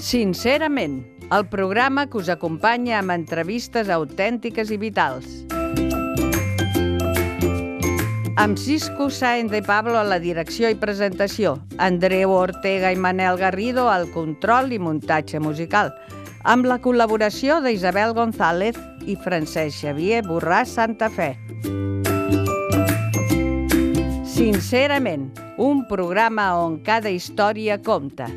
Sincerament, el programa que us acompanya amb entrevistes autèntiques i vitals. Amb Cisco Sáenz de Pablo a la direcció i presentació, Andreu Ortega i Manel Garrido al control i muntatge musical, amb la col·laboració d'Isabel González i Francesc Xavier Borràs Santa Fe. Sincerament, un programa on cada història compta.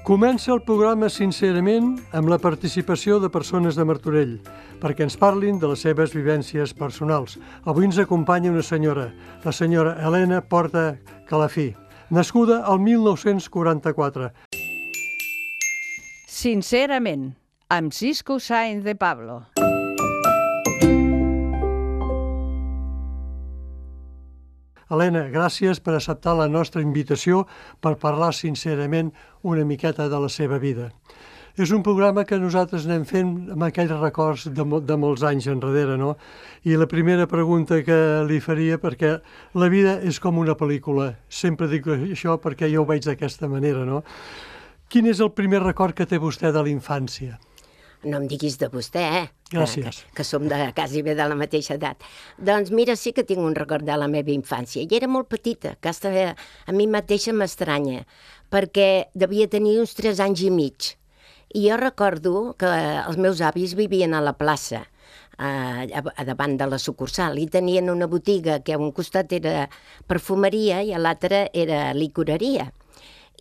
Comença el programa Sincerament amb la participació de persones de Martorell perquè ens parlin de les seves vivències personals. Avui ens acompanya una senyora, la senyora Helena Porta Calafí, nascuda al 1944. Sincerament, amb Cisco Sáenz de Pablo. Helena, gràcies per acceptar la nostra invitació per parlar sincerament una miqueta de la seva vida. És un programa que nosaltres anem fent amb aquells records de molts anys enrere, no? I la primera pregunta que li faria, perquè la vida és com una pel·lícula, sempre dic això perquè jo ho veig d'aquesta manera, no? Quin és el primer record que té vostè de la infància? No em diguis de vostè, Gràcies. Que som quasi bé de la mateixa edat. Doncs mira, sí que tinc un record de la meva infància. I era molt petita, que a mi mateixa m'estranya, perquè devia tenir uns 3 anys i mig. I jo recordo que els meus avis vivien a la plaça, a davant de la sucursal, i tenien una botiga que a un costat era perfumeria i a l'altre era licoreria.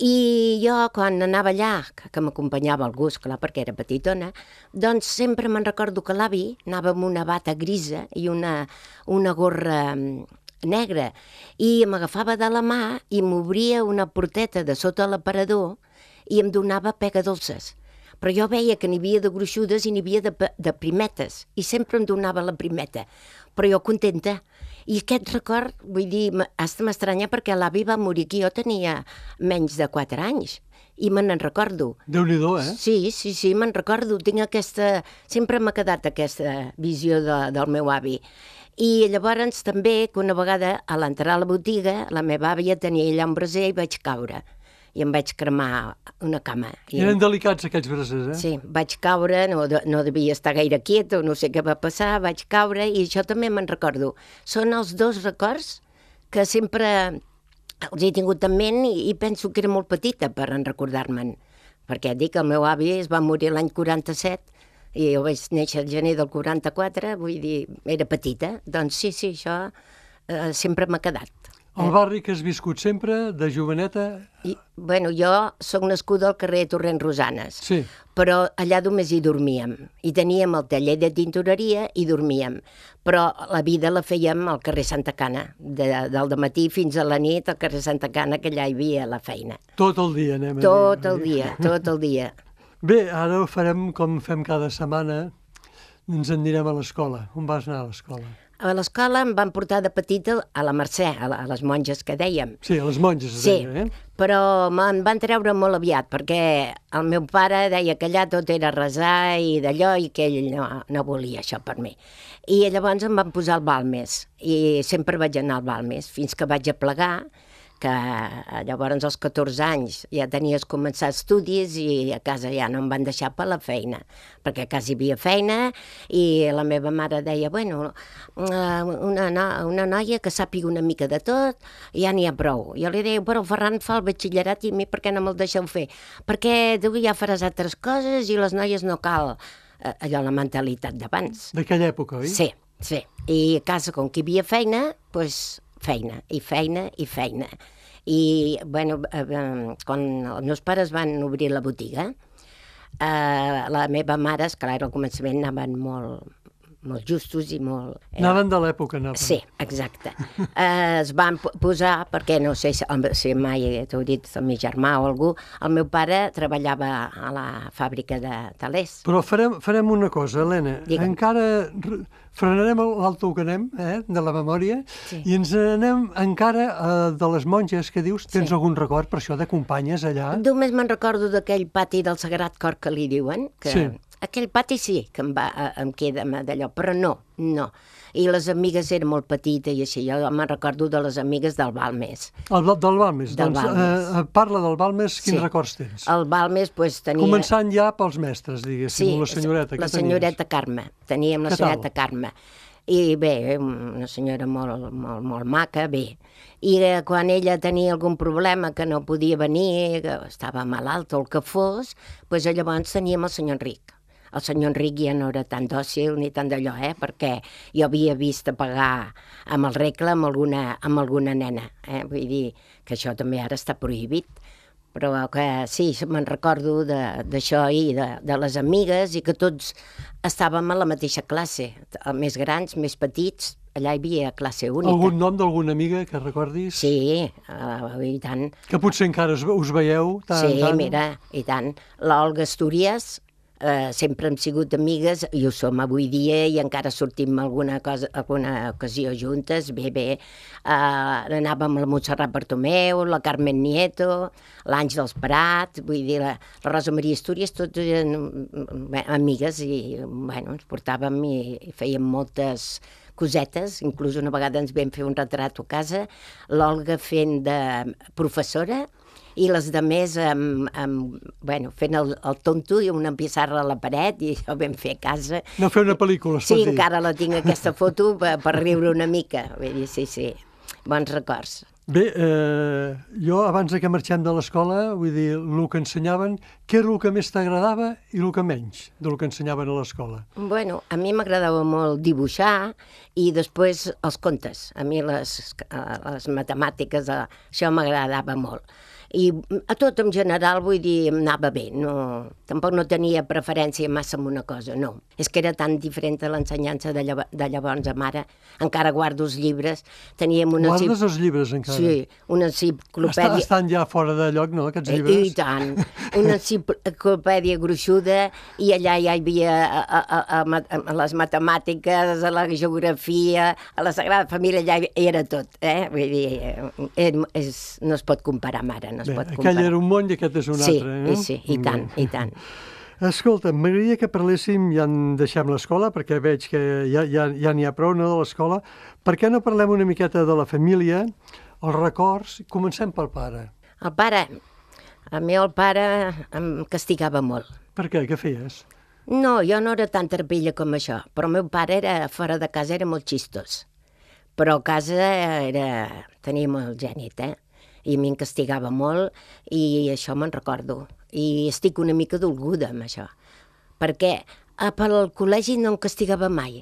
I jo, quan anava allà, que m'acompanyava algú, esclar, perquè era petitona, doncs sempre me'n recordo que l'avi anava amb una bata grisa i una gorra negra, i m'agafava de la mà i m'obria una porteta de sota l'aparador i em donava pega dolces. Però jo veia que n'hi havia de gruixudes i n'hi havia de primetes, i sempre em donava la primeta, però jo contenta. I aquest record, vull dir, hasta m'estranya perquè l'avi va morir que jo tenia menys de 4 anys. I me n'en recordo. Déu-n'hi-do, eh? Sí, me'n recordo. Tinc aquesta... Sempre m'ha quedat aquesta visió del meu avi. I llavors també que una vegada a l'entrar a la botiga la meva àvia tenia allà un braser i vaig caure. I em vaig cremar una cama. Eren delicats aquells brasers, eh? Sí, vaig caure, no devia estar gaire quiet, no sé què va passar, vaig caure i això també me'n recordo. Són els 2 records que sempre els he tingut en ment i penso que era molt petita per en recordar-me'n. Perquè dic que el meu avi es va morir l'any 47 i jo vaig néixer el gener del 44, vull dir, era petita. Doncs sí, això sempre m'ha quedat. El barri que has viscut sempre, de joveneta? Bueno, jo soc nascuda al carrer Torrent Rosanes, sí. Però allà només hi dormíem. I teníem el taller de tintoreria i dormíem. Però la vida la fèiem al carrer Santa Cana, del dematí fins a la nit al carrer Santa Cana, que allà hi havia la feina. Tot el dia, anem a dir. Tot el dia. Bé, ara ho farem com fem cada setmana, ens en anirem a l'escola. On vas anar a l'escola? A l'escola em van portar de petita a la Mercè, a les monges que dèiem. Sí, a les monges es deia, eh? Però me'n van treure molt aviat, perquè el meu pare deia que allà tot era resar i d'allò, i que ell no volia això per mi. I llavors em van posar al Balmes, i sempre vaig anar al Balmes, fins que vaig aplegar, que llavors als 14 anys ja tenies començat estudis i a casa ja no em van deixar per la feina, perquè a casa hi havia feina i la meva mare deia, bueno, una noia que sàpiga una mica de tot, ja n'hi ha prou. Jo li deia, però el Ferran fa el batxillerat i a mi per què no me'l deixeu fer? Perquè tu ja faràs altres coses i les noies no cal. Allò, la mentalitat d'abans. D'aquella època, oi? Sí. I a casa, com que hi havia feina, doncs feina. I, bueno, quan els meus pares van obrir la botiga, la meva mare, esclar, al començament anaven molt justos i molt... Anaven de l'època, anaven. Sí, exacte. Es van posar, perquè no sé si mai t'ho dit el meu germà o algú, el meu pare treballava a la fàbrica de talers. Però farem una cosa, Helena. Digue'm. Encara frenarem l'alto que anem, de la memòria, i ens anem encara de les monges que dius. Tens algun record per això de companyes allà? Només me'n recordo d'aquell pati del Sagrat Cor que li diuen, que Sí. aquell pati sí que em queda d'allò, però no. I les amigues eren molt petites i així, jo me'n recordo de les amigues del Balmes. Del Balmes. Del Balmes. Parla del Balmes, quins Sí. records tens? El Balmes tenia... Començant ja pels mestres, diguéssim, la senyoreta. la què senyoreta Carme. Teníem la Què tal? senyoreta Carme. I bé, una senyora molt maca, bé. I quan ella tenia algun problema que no podia venir, que estava malalt o el que fos, doncs llavors teníem el senyor Enric. El senyor Enric ja no era tan dòcil ni tan d'allò, perquè jo havia vist a pagar amb el regle amb alguna nena. Vull dir que això també ara està prohibit. Però que sí, me'n recordo d'això i de les amigues i que tots estàvem a la mateixa classe, més grans, més petits, allà hi havia classe única. Algun nom d'alguna amiga que recordis? Sí, i tant. Que potser encara us veieu tant Sí, tant? mira, i tant. L'Olga Astúries, sempre hem sigut amigues i ho som avui dia i encara sortim alguna ocasió juntes, bé. Anàvem a la Montserrat Bartomeu, la Carmen Nieto, l'Àngels Prat, vull dir, la Rosa Maria Astúries, tots eren amigues i, bueno, ens portàvem i fèiem moltes cosetes, inclús una vegada ens vam fer un retrat a casa, l'Olga fent de professora i les de més fent el tonto i una pissarra a la paret i això ho vam fer a casa. No fer una pel·lícula, es pot Sí, dir. encara la tinc aquesta foto per riure una mica. Vull dir, sí, bons records. Bé, jo abans que marxem de l'escola, vull dir, el que ensenyaven, què era el que més t'agradava i el que menys del que ensenyaven a l'escola? Bueno, a mi m'agradava molt dibuixar i després els contes. A mi les matemàtiques, això m'agradava molt. I a tot en general, vull dir, em anava bé. Tampoc no tenia preferència massa en una cosa, no. És que era tan diferent a l'ensenyança de llavors amb ara. Encara guardo els llibres. Guardes els llibres encara? Sí, una enciclopèdia... Estan ja fora de lloc, no, aquests llibres? I tant. Una enciclopèdia gruixuda i allà ja hi havia a les matemàtiques, a la geografia, a la Sagrada Família, allà hi era tot. Vull dir, no es pot comparar amb ara, no es pot comparar. Aquell era un món i aquest és un altre, no? Sí, i tant. Escolta, m'agradaria que parléssim, ja en deixem l'escola, perquè veig que ja n'hi ha prou, no, de l'escola. Per què no parlem una miqueta de la família, els records? Comencem pel pare. El pare, el pare em castigava molt. Per què? Què feies? No, jo no era tan terpilla com això, però el meu pare fora de casa era molt xistós. Però a casa tenia molt gènit, i a mi em castigava molt i això me'n recordo. I estic una mica dolguda amb això, perquè pel col·legi no em castigava mai,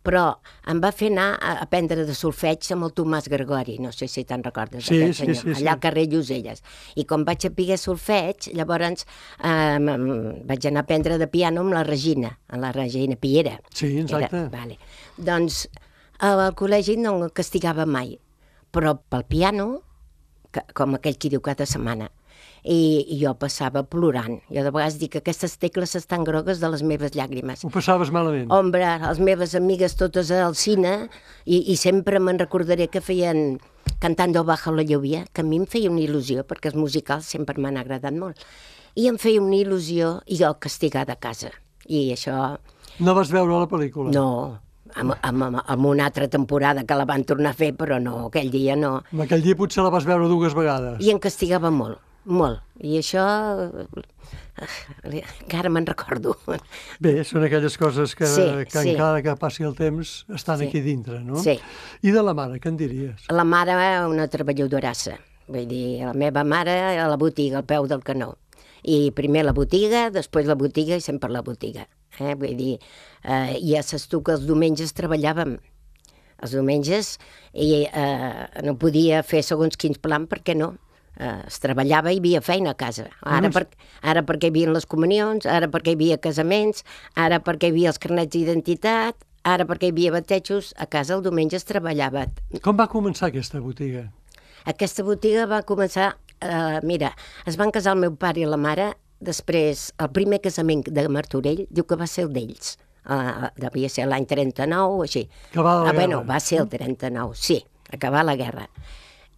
però em va fer anar a aprendre de solfeig amb el Tomàs Gregori, no sé si te'n recordes d'aquest senyor, allà al carrer Lloselles. I quan vaig saber solfeig, llavors vaig anar a aprendre de piano amb la Regina Piera. Sí, exacte. Doncs al col·legi no em castigava mai, però pel piano, com aquell qui diu cada setmana, i jo passava plorant. Jo de vegades dic que aquestes tecles estan grogues de les meves llàgrimes. Ho passaves malament? Hombre, les meves amigues totes al cine, i sempre me'n recordaré que feien Cantando bajo la lluvia, que a mi em feia una il·lusió, perquè els musicals sempre m'han agradat molt. I em feia una il·lusió i jo castigada a casa. I això... No vas veure la pel·lícula? No, amb una altra temporada que la van tornar a fer, però no, aquell dia no. Aquell dia potser la vas veure 2 vegades. I em castigava molt. I això encara me'n recordo. Bé, són aquelles coses que encara que passi el temps estan aquí dintre, no? Sí. I de la mare, què en diries? La mare, una treballadorassa. Vull dir, la meva mare a la botiga, al peu del canó. I primer la botiga, després la botiga i sempre la botiga. Vull dir, ja saps tu que els diumenges treballàvem. Els diumenges i no podia fer segons quins plans perquè no. Es treballava i hi havia feina a casa. Ara perquè hi havia les comunions, ara perquè hi havia casaments, ara perquè hi havia els carnets d'identitat, Ara, perquè hi havia batejos, a casa el diumenge es treballava. Com va començar aquesta botiga? Aquesta botiga va començar... mira, es van casar el meu pare i la mare, després, el primer casament de Martorell, diu que va ser el d'ells. Devia ser l'any 39 o així. Acabar la guerra. Bueno, va ser el 39, sí, acabar la guerra.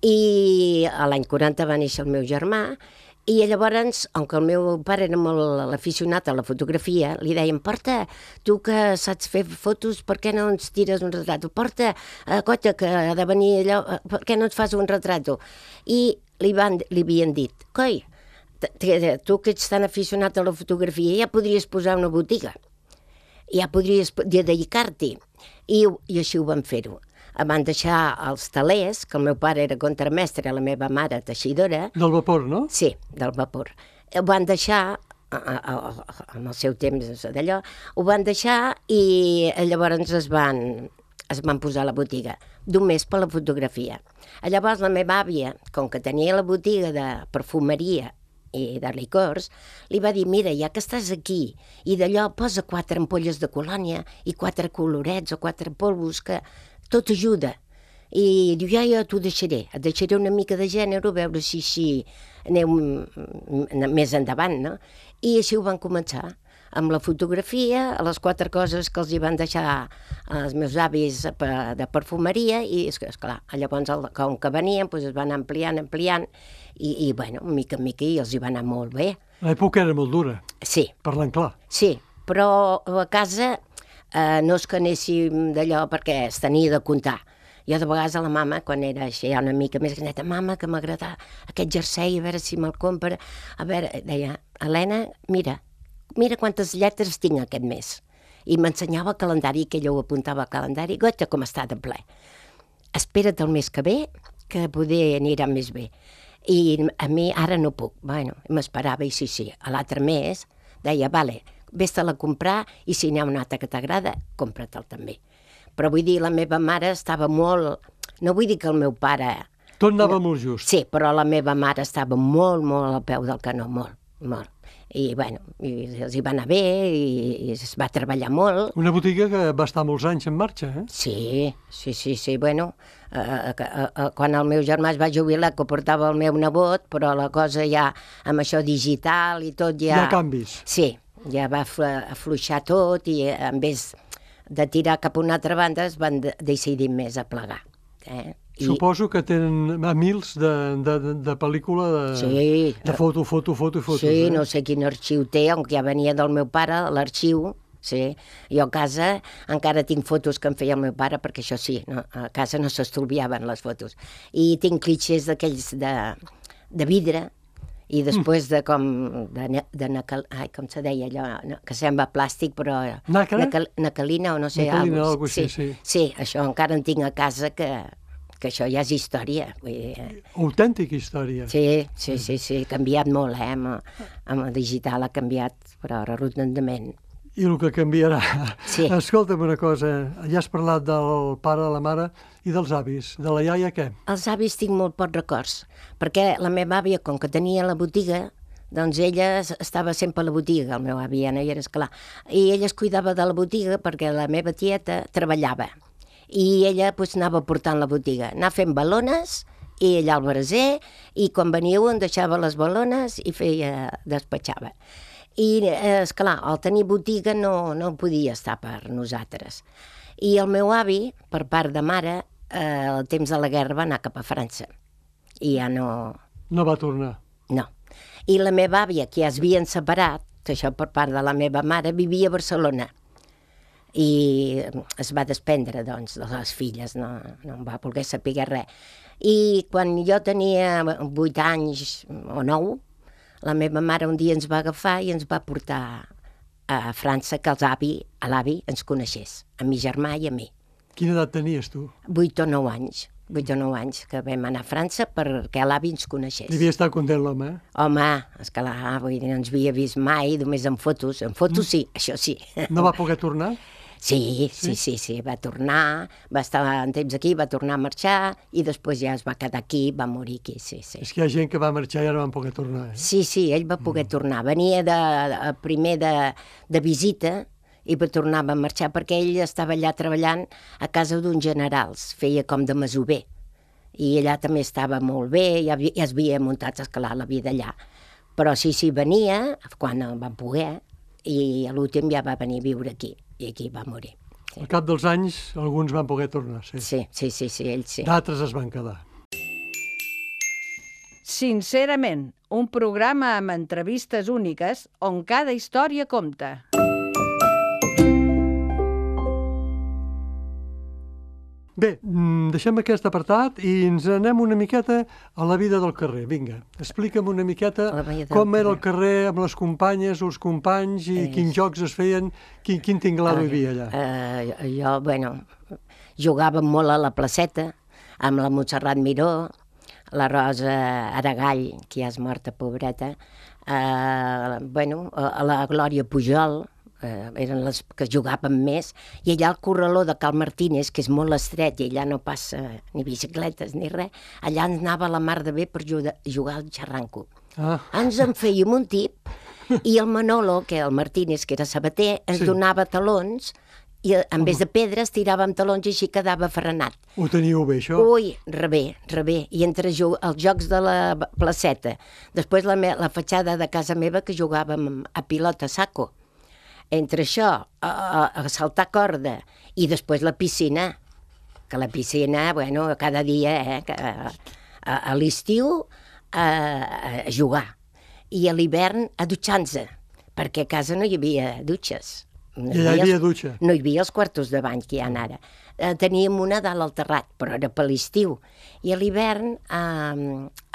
I a l'any 40 va néixer el meu germà, i llavors, com que el meu pare era molt aficionat a la fotografia, li deien, porta, tu que saps fer fotos, per què no ens tires un retrat? Porta, cotxa, que ha de venir allò, per què no ens fas un retrat? I li havien dit, coi, tu que ets tan aficionat a la fotografia ja podries posar una botiga, ja podries dedicar-t'hi. I així ho van fer-ho. Van deixar els talers, que el meu pare era contramestre, la meva mare teixidora. Del vapor, no? Sí, del vapor. Ho van deixar, en el seu temps d'allò, ho van deixar i llavors es van posar a la botiga, només per la fotografia. Llavors la meva àvia, com que tenia la botiga de perfumeria i de licors, li va dir, mira, ja que estàs aquí, i d'allò posa 4 ampolles de colònia i 4 colorets o 4 polvos, que tot ajuda. I diu, ja t'ho deixaré, et deixaré una mica de gènere, a veure si aneu més endavant, no? I així ho van començar, amb la fotografia, les 4 coses que els hi van deixar els meus avis de perfumeria, i esclar, llavors com que venien es van ampliant, i bueno, mica en mica els hi va anar molt bé. L'època era molt dura. Sí. Parlant clar. Sí, però a casa no és que anéssim d'allò perquè es tenia de comptar. Jo de vegades a la mama, quan era així una mica més grandeta, mama, que m'agrada aquest jersei, a veure si me'l compra. A veure, deia, Helena, mira quantes lletres tinc aquest mes. I m'ensenyava el calendari, que ella ho apuntava al calendari, gota com està de ple. Espera't el mes que ve, que poder anirà més bé. I a mi ara no puc. Bueno, m'esperava i sí. A l'altre mes deia, vale, vés-te'l a comprar i si n'hi ha un altre que t'agrada, compra-te'l també. Però vull dir, la meva mare estava molt... No vull dir que el meu pare... Tot anava molt just. Sí, però la meva mare estava molt al peu del canó, molt. I, bueno, els hi va anar bé i es va treballar molt. Una botiga que va estar molts anys en marxa, eh? Sí, bueno, quan el meu germà es va jubilar, que portava el meu nebot, però la cosa ja, amb això digital i tot ja... Hi ha canvis. Sí, ja va afluixar tot i en vez de tirar cap a una altra banda es van decidir més a plegar. Suposo que tenen mils de pel·lícula, de foto. Sí, no sé quin arxiu té, on ja venia del meu pare, l'arxiu, sí. Jo a casa encara tinc fotos que em feia el meu pare, perquè això sí, a casa no s'estolviaven les fotos. I tinc clitxers d'aquells de vidre, i després com se deia allò, que sembla plàstic, però... Naquelina o no sé. Naquelina, alguna cosa així, sí. Sí, això encara en tinc a casa, que això ja és història. Autèntica història. Sí, ha canviat molt, amb el digital ha canviat, però rotundament. I el que canviarà. Sí. Escolta'm una cosa, ja has parlat del pare, de la mare i dels avis. De la iaia, què? Els avis tinc molt pocs records, perquè la meva àvia, com que tenia la botiga, doncs ella estava sempre a la botiga, el meu avi ja no hi era, esclar, i ella es cuidava de la botiga perquè la meva tieta treballava, i ella anava portant la botiga, anava fent balones, i ella al braser, i quan venia un deixava les balones i despatxava. I, esclar, al tenir botiga no podia estar per nosaltres. I el meu avi, per part de mare, al temps de la guerra va anar cap a França. I ja no... No va tornar. No. I la meva àvia, que ja es havien separat, això per part de la meva mare, vivia a Barcelona. I es va desprendre, doncs, de les filles, no em va voler saber res. I quan jo tenia 8 anys o 9, la meva mare un dia ens va agafar i ens va portar a França que l'avi ens coneixés, a mi germà i a mi. Quina edat tenies tu? 8 o 9 anys. 8 o 9 anys que vam anar a França perquè l'avi ens coneixés. Devia estar content l'home, eh? Home, esclar, vull dir, no ens havia vist mai, només en fotos. En fotos sí, això sí. No va poder tornar? Sí, va tornar, va estar un temps aquí, va tornar a marxar i després ja es va quedar aquí, va morir aquí, sí. És que hi ha gent que va marxar i ara van poder tornar, eh? Sí, ell va poder tornar. Venia primer de visita i tornava a marxar perquè ell estava allà treballant a casa d'uns generals, feia com de masover. I allà també estava molt bé, ja es havia muntat a escalar la vida allà. Però sí, venia quan va poder i a l'últim ja va venir a viure aquí i aquí va morir. Sí. Al cap dels anys alguns van poder tornar, sí. Sí, ells sí. D'altres es van quedar. Sincerament, un programa amb entrevistes úniques on cada història compta. Bé, deixem aquest apartat i ens anem una miqueta a la vida del carrer. Vinga, explica'm una miqueta com era el carrer amb les companyes o els companys i quins jocs es feien, quin tinglado hi havia allà. Jo, jugàvem molt a la placeta amb la Montserrat Miró, la Rosa Aragall, que ja és morta, pobreta, a la Glòria Pujol, eren les que jugàvem més, i allà al corraló de Cal Martínez, que és molt estret i allà no passa ni bicicletes ni res, allà ens anava la mar de bé per jugar al xarranco. Ens en fèiem un tip i el Manolo, que el Martínez, que era sabater, ens donava talons i en vez de pedres tiràvem talons i així quedava frenat. Ho teníeu bé, això? Ui, rebé. I entre els jocs de la placeta, després la fatxada de casa meva que jugàvem a pilota saco. Entre això, a saltar corda i després la piscina, que la piscina, cada dia, a l'estiu a jugar i a l'hivern a dutxar-se, perquè a casa no hi havia dutxes. I allà hi havia dutxa? No hi havia els quartos de bany que hi ha ara. Teníem una dalt al terrat, però era per l'estiu. I a l'hivern, a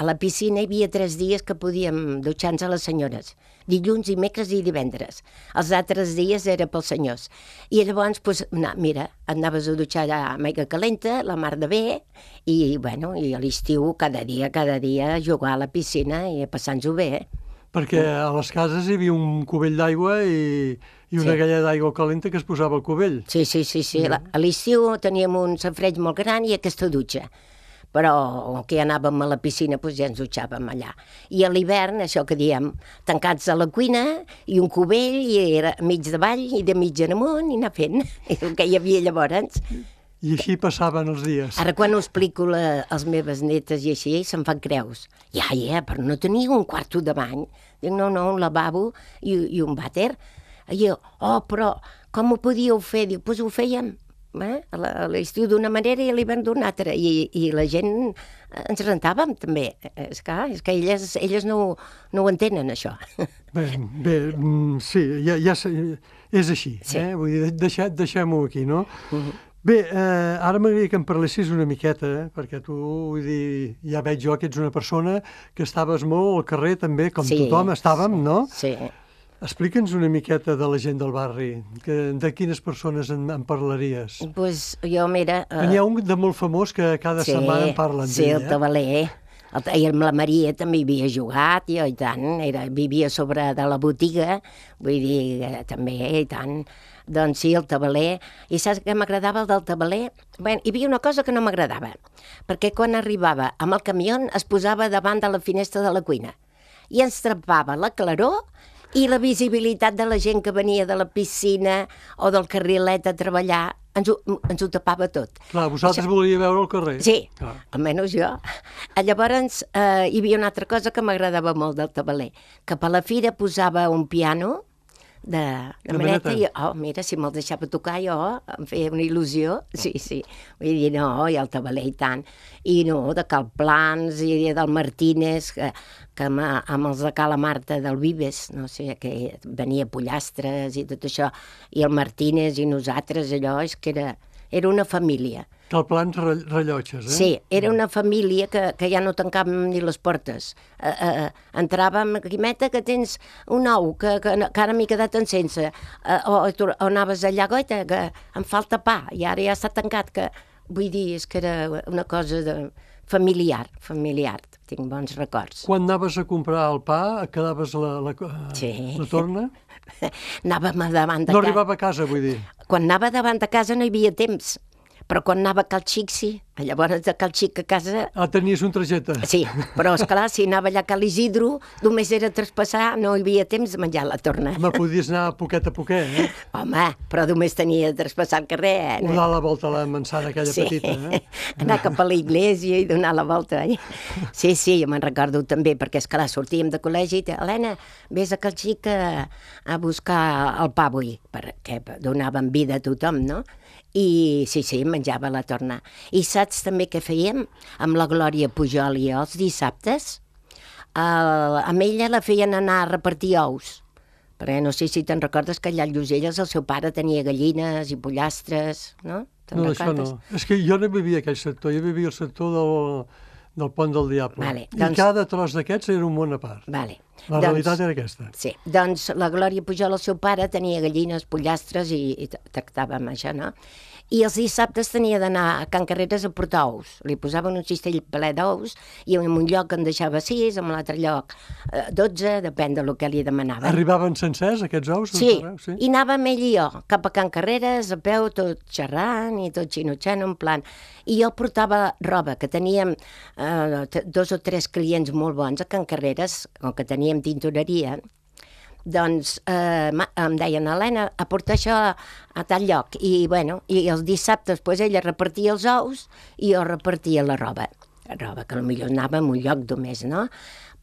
la piscina hi havia 3 dies que podíem dutxar-nos a les senyores. Dilluns, dimecres i divendres. Els altres dies era pels senyors. I llavors, mira, anaves a dutxar amb aigua calenta, la mar de bé, i a l'estiu cada dia a jugar a la piscina i a passar-nos-ho bé. Perquè a les cases hi havia un cubell d'aigua i una galleda d'aigua calenta que es posava al cubell. Sí. A l'estiu teníem un safareig molt gran i aquesta dutxa. Però que anàvem a la piscina ja ens dutxàvem allà. I a l'hivern, això que diem, tancats a la cuina i un cubell i era mig davall i de mig en amunt i anar fent el que hi havia llavors. I així passaven els dies. Ara quan ho explico a les meves netes i així, se'n fan creus. Però no tenia un quarto de bany. Dic, no, un lavabo i un vàter. I jo, però com ho podíeu fer? Dic, doncs ho fèiem a l'estiu d'una manera i a l'hivern d'una altra. I la gent ens rentàvem també. És que elles no ho entenen, això. Bé, sí, ja és així. Vull dir, deixem-ho aquí, no? Bé, ara m'agradaria que em parlessis una miqueta, perquè tu, vull dir, ja veig jo que ets una persona que estaves molt al carrer també, com tothom estàvem, no? Sí. Explica'ns una miqueta de la gent del barri, de quines persones en parlaries. Doncs jo, mira... N'hi ha un de molt famós que cada setmana en parlen d'ell. Sí, el Tabaler. I amb la Maria també hi havia jugat, i tant, vivia sobre de la botiga, vull dir, també, i tant... Doncs sí, el tabaler. I saps què m'agradava el del tabaler? Bé, hi havia una cosa que no m'agradava, perquè quan arribava amb el camió es posava davant de la finestra de la cuina i ens trempava la claror i la visibilitat de la gent que venia de la piscina o del carrilet a treballar, ens ho tapava tot. Clar, vosaltres volíeu veure el carrer. Sí, almenys jo. Llavors hi havia una altra cosa que m'agradava molt del tabaler, que per la fira posava un piano de maneta i, mira, si me'l deixava tocar jo, em feia una il·lusió, sí, vull dir, no, i el tabaler i tant, i no, de Cal Plans i del Martínez, que amb els de Cala Marta del Vives, no sé, que venia Pollastres i tot això, i el Martínez i nosaltres, allò, és que era una família. Cal Plans rellotges, Sí, era una família que ja no tancàvem ni les portes. Entràvem, Quimeta, que tens un ou, que ara m'he quedat en sense, o anaves allà, goita, que em falta pa, i ara ja està tancat, que vull dir, és que era una cosa familiar, tinc bons records. Quan anaves a comprar el pa, et quedaves la torna? Anàvem davant de casa. No arribava a casa, vull dir. Quan anava davant de casa no hi havia temps, però quan anava a Cal Xic sí, Llavors, de cal xic a casa... Tenies un trajecte. Sí, però, esclar, si anava allà a Cal Isidro, només era traspassar, no hi havia temps de menjar la torna. Home, podies anar poquet a poquet, Home, però només tenia de traspassar el carrer, O dar la volta a la manzana aquella petita, anar cap a l'església i donar la volta. Sí, jo me'n recordo també, perquè, esclar, sortíem de col·legi i Helena, vés a Cal Xic a buscar el pa avui, perquè donaven vida a tothom, no? I sí, menjava la torna. I saps també què fèiem? Amb la Glòria Pujol i els dissabtes, amb ella la feien anar a repartir ous. Perquè no sé si te'n recordes que allà a Lloselles el seu pare tenia gallines i pollastres, no? No, això no. És que jo no vivia aquell sector, jo vivia al sector del Pont del Diable. Vale, I cada tros d'aquests era un món a part. Vale. La realitat era aquesta. Sí, doncs la Glòria Pujol, el seu pare, tenia gallines, pollastres i tractàvem això, no? I els dissabtes tenia d'anar a Can Carreres a portar ous. Li posaven un cistell ple d'ous i en un lloc en deixava 6, en l'altre lloc 12, depèn del que li demanaven. Arribaven sencers, aquests ous? Sí, i anàvem ell i jo, cap a Can Carreres, a peu, tot xerrant i tot xinutxant, en plan. I jo portava roba, que teníem 2 o 3 clients molt bons a Can Carreres, com que teníem tintoreria, doncs em deien, Helena, a portar això a tal lloc. I, bueno, i els dissabtes pues, ella repartia els ous i jo repartia la roba. La roba, que potser anava en un lloc només, no?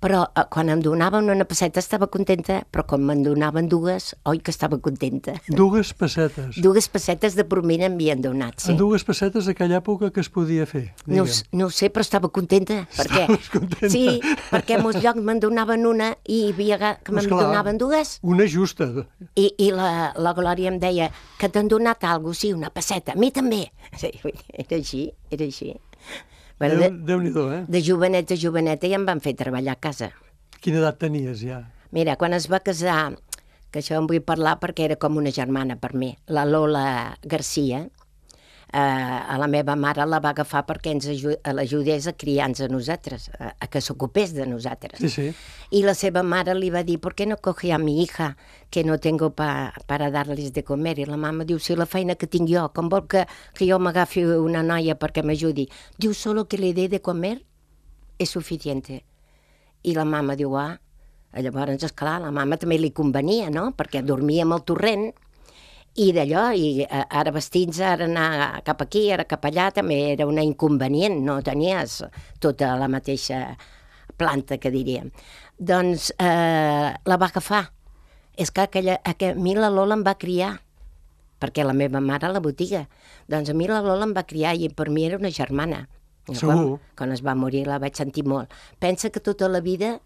Però quan em donaven una pesseta estava contenta, però quan me'n donaven 2, oi que estava contenta. 2 pessetes. 2 pessetes de promina m'havien donat, sí. En 2 pessetes d'aquella època que es podia fer, diguem. No ho sé, però estava contenta. Estaves contenta? Sí, perquè en molts llocs me'n donaven una i hi havia que me'n donaven 2. Una justa. I la Glòria em deia que t'han donat alguna cosa, sí, una pesseta. A mi també. Sí, era així. Bueno, Déu-n'hi-do, De joveneta ja em van fer treballar a casa. Quina edat tenies, ja? Mira, quan es va casar, que això en vull parlar perquè era com una germana per mi, la Lola Garcia, a la meva mare la va agafar perquè l'ajudés a criar-nos a nosaltres, a que s'ocupés de nosaltres. Sí. I la seva mare li va dir, ¿por qué no coge a mi hija, que no tengo para darles de comer? I la mama diu, si la feina que tinc jo, com vol que jo m'agafi una noia perquè m'ajudi? Diu, solo que le dé de comer és suficiente. I la mama diu, llavors, esclar, la mama també li convenia, no?, perquè dormia amb el torrent, i d'allò, i ara vestits, ara anar cap aquí, ara cap allà, també era una inconvenient, no tenies tota la mateixa planta, que diríem. Doncs la va agafar. És que a mi la Lola em va criar, perquè la meva mare a la botiga. Doncs a mi la Lola em va criar i per mi era una germana. Segur. Quan es va morir la vaig sentir molt. Pensa que tota la vida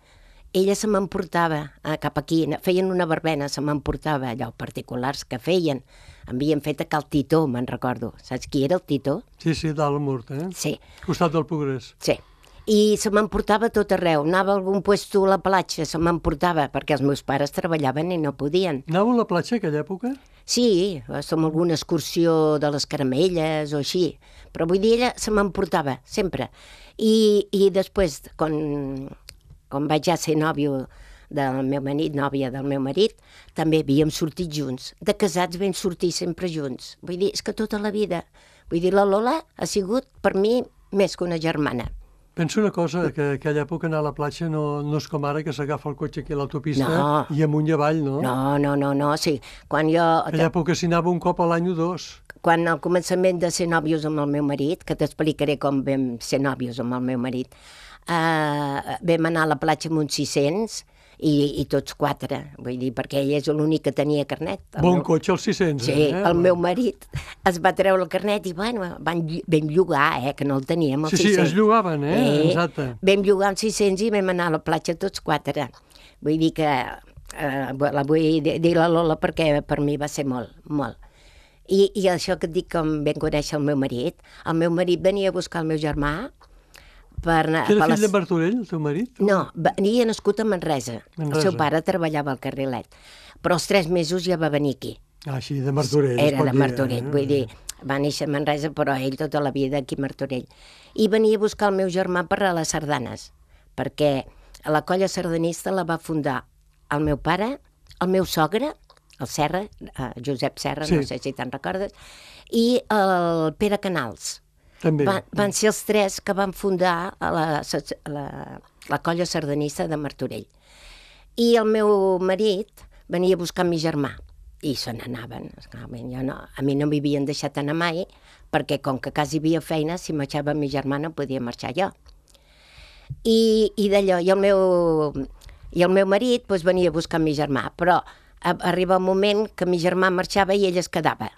ella se m'emportava cap aquí, feien una verbena, se m'emportava allò particulars que feien. Havien fet a Cal Titó, me'n recordo. Saps qui era el Titó? Sí, dalt al Murt, Sí. Costat del Progrés. Sí. I se m'emportava tot arreu. Anava a algun puesto a la platja, se m'emportava, perquè els meus pares treballaven i no podien. Anàveu a la platja a aquella època? Sí, som alguna excursió de les caramelles o així. Però vull dir, ella se m'emportava, sempre. I després, quan vaig ja ser nòvio del meu marit, nòvia del meu marit, també havíem sortit junts. De casats vam sortir sempre junts. Vull dir, és que tota la vida. Vull dir, la Lola ha sigut per mi més que una germana. Penso una cosa, que a aquella època anar a la platja no és com ara, que s'agafa el cotxe aquí a l'autopista i amunt i avall, no? No, sí. Quan jo... A aquella època s'hi anava un cop a l'any o 2. Quan al començament de ser nòvios amb el meu marit, que t'explicaré com vam ser nòvios amb el meu marit, vam anar a la platja amb uns 600 i tots 4, vull dir, perquè ell és l'únic que tenia carnet. Cotxe, els 600, Sí, el meu marit es va treure el carnet i, bueno, vam llogar, que no el teníem, els 600. Sí, es llogaven, exacte. Vam llogar els 600 i vam anar a la platja tots 4. Vull dir que la vull dir la Lola perquè per mi va ser molt, molt. I això que et dic, com vam conèixer el meu marit venia a buscar el meu germà. Que era fill de Martorell, el teu marit? No, venia nascut a Manresa. El seu pare treballava al Carrilet. Però als 3 mesos ja va venir aquí. Així, de Martorell. Era de Martorell, vull dir, va néixer a Manresa, però ell tota la vida aquí a Martorell. I venia a buscar el meu germà per a les sardanes, perquè la colla sardanista la va fundar el meu pare, el meu sogre, el Serra, Josep Serra, no sé si te'n recordes, i el Pere Canals. També. Van ser els 3 que van fundar la colla sardanista de Martorell. I el meu marit venia a buscar mi germà i se n'anaven. A mi no m'havien deixat anar mai perquè com que quasi hi havia feina, si marxava mi germà no podia marxar jo. I d'allò, i el meu marit doncs, venia a buscar mi germà, però arriba un moment que mi germà marxava i ell es quedava.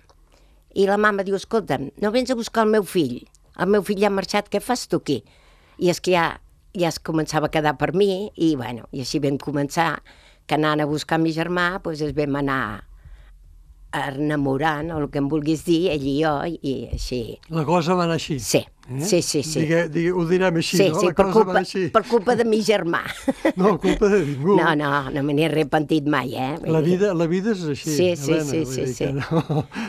I la mama diu, escolta'm, no vens a buscar el meu fill ja ha marxat, què fas tu aquí? I és que ja es començava a quedar per mi, i bueno, i així vam començar, que anant a buscar mi germà, doncs es vam anar enamorant, o el que em vulguis dir, ell i jo, i així. La cosa va anar així. Sí, sí. Ho direm així, no? Sí, La cosa va anar així. per culpa de mi germà. No, culpa de ningú. No me n'he arrepentit mai, La vida és així, Helena. Sí.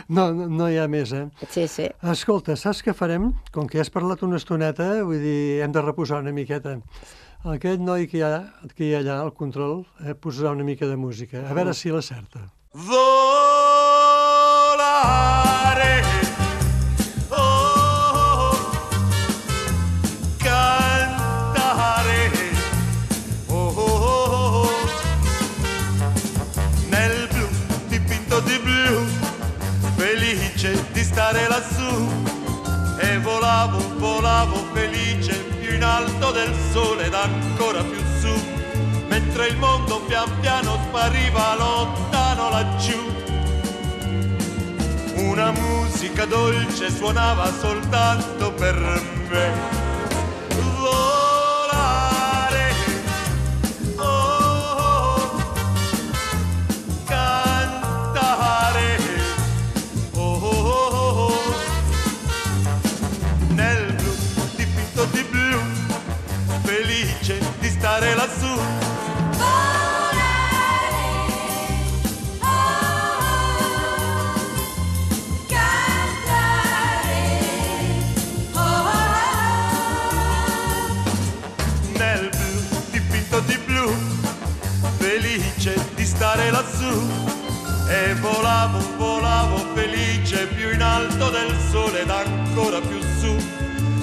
No hi ha més, Sí. Escolta, saps què farem? Com que has parlat una estoneta, vull dir, hem de reposar una miqueta. Aquest noi que hi ha allà al control posarà una mica de música. A veure si l'acerta. Volare, cantare, nel blu dipinto di blu, felice di stare lassù, e volavo felice più in alto del sole ed ancora più su, mentre il mondo pian piano spariva lontano laggiù. Una musica dolce suonava soltanto per me. Volare, cantare, nel blu dipinto di blu, felice di stare lassù. Di stare lassù, e volavo felice più in alto del sole ed ancora più su,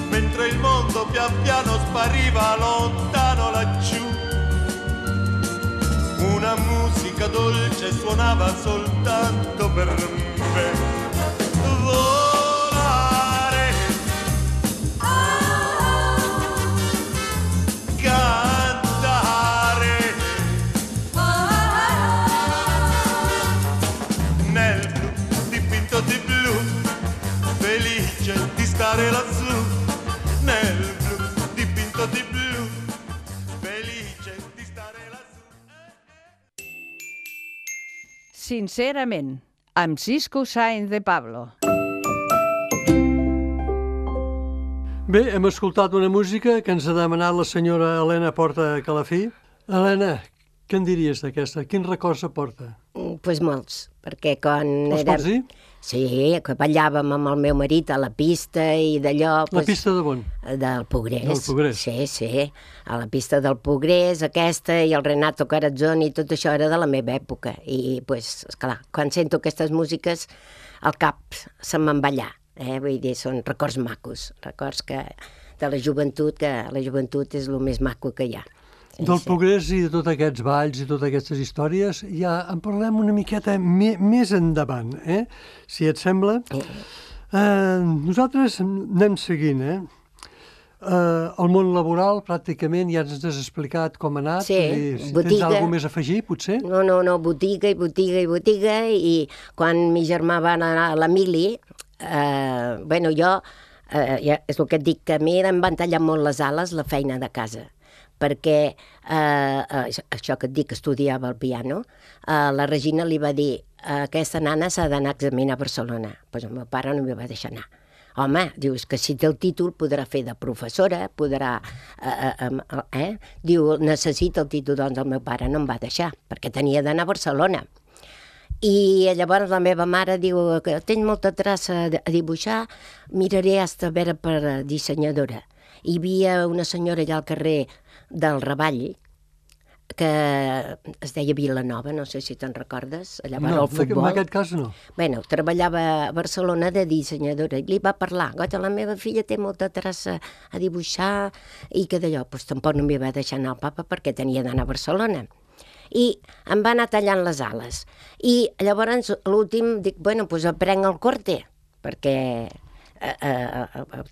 mentre il mondo pian piano spariva lontano laggiù. Una musica dolce suonava soltanto per me. Volare, stare lassù, nel blu dipinto di blu, felice di stare lassù. Sincerament, amb Cisco Sáenz de Pablo. Bé, hem escoltat una música que ens ha demanat la senyora Helena Porta Calafí. Helena, què en diries d'aquesta? Quins records aporta? Pues molts, perquè quan Els pots dir? Sí, que ballàvem amb el meu marit a la pista i d'allò... La pista de on? Del Pogrés. Del Pogrés. Sí, a la pista del Pogrés, aquesta, i el Renato Carazzoni, tot això era de la meva època. I, pues, esclar, quan sento aquestes músiques, al cap se'm van ballar. Vull dir, són records macos, records de la joventut, que la joventut és el més maco que hi ha. Del Pogrés i de tots aquests balls i totes aquestes històries, ja en parlem una miqueta més endavant, si et sembla. Nosaltres anem seguint, el món laboral, pràcticament, ja ens has explicat com ha anat. Sí, botiga. Tens alguna més a afegir, potser? No, botiga, i quan mi germà va anar a l'Emili, jo, és el que et dic, que a mi em van tallar molt les ales la feina de casa, perquè això que et dic, que estudiava el piano, la Regina li va dir, aquesta nana s'ha d'anar a examinar a Barcelona. Doncs el meu pare no m'hi va deixar anar. Home, dius que si té el títol podrà fer de professora, podrà... Diu, necessita el títol, doncs el meu pare no em va deixar, perquè tenia d'anar a Barcelona. I llavors la meva mare diu que tens molta traça a dibuixar, miraré hasta a veure per dissenyadora. Hi havia una senyora allà al carrer del Ravall, que es deia Vilanova, no sé si te'n recordes, allà va No, el futbol. en aquest cas no. Bueno, treballava a Barcelona de dissenyadora i li va parlar, goita, la meva filla té molta traça a dibuixar i que d'allò, doncs tampoc no m'hi va deixar anar al papa perquè tenia d'anar a Barcelona. I em va anar tallant les ales. I llavors, a l'últim, dic, bueno, doncs aprenc el corte, perquè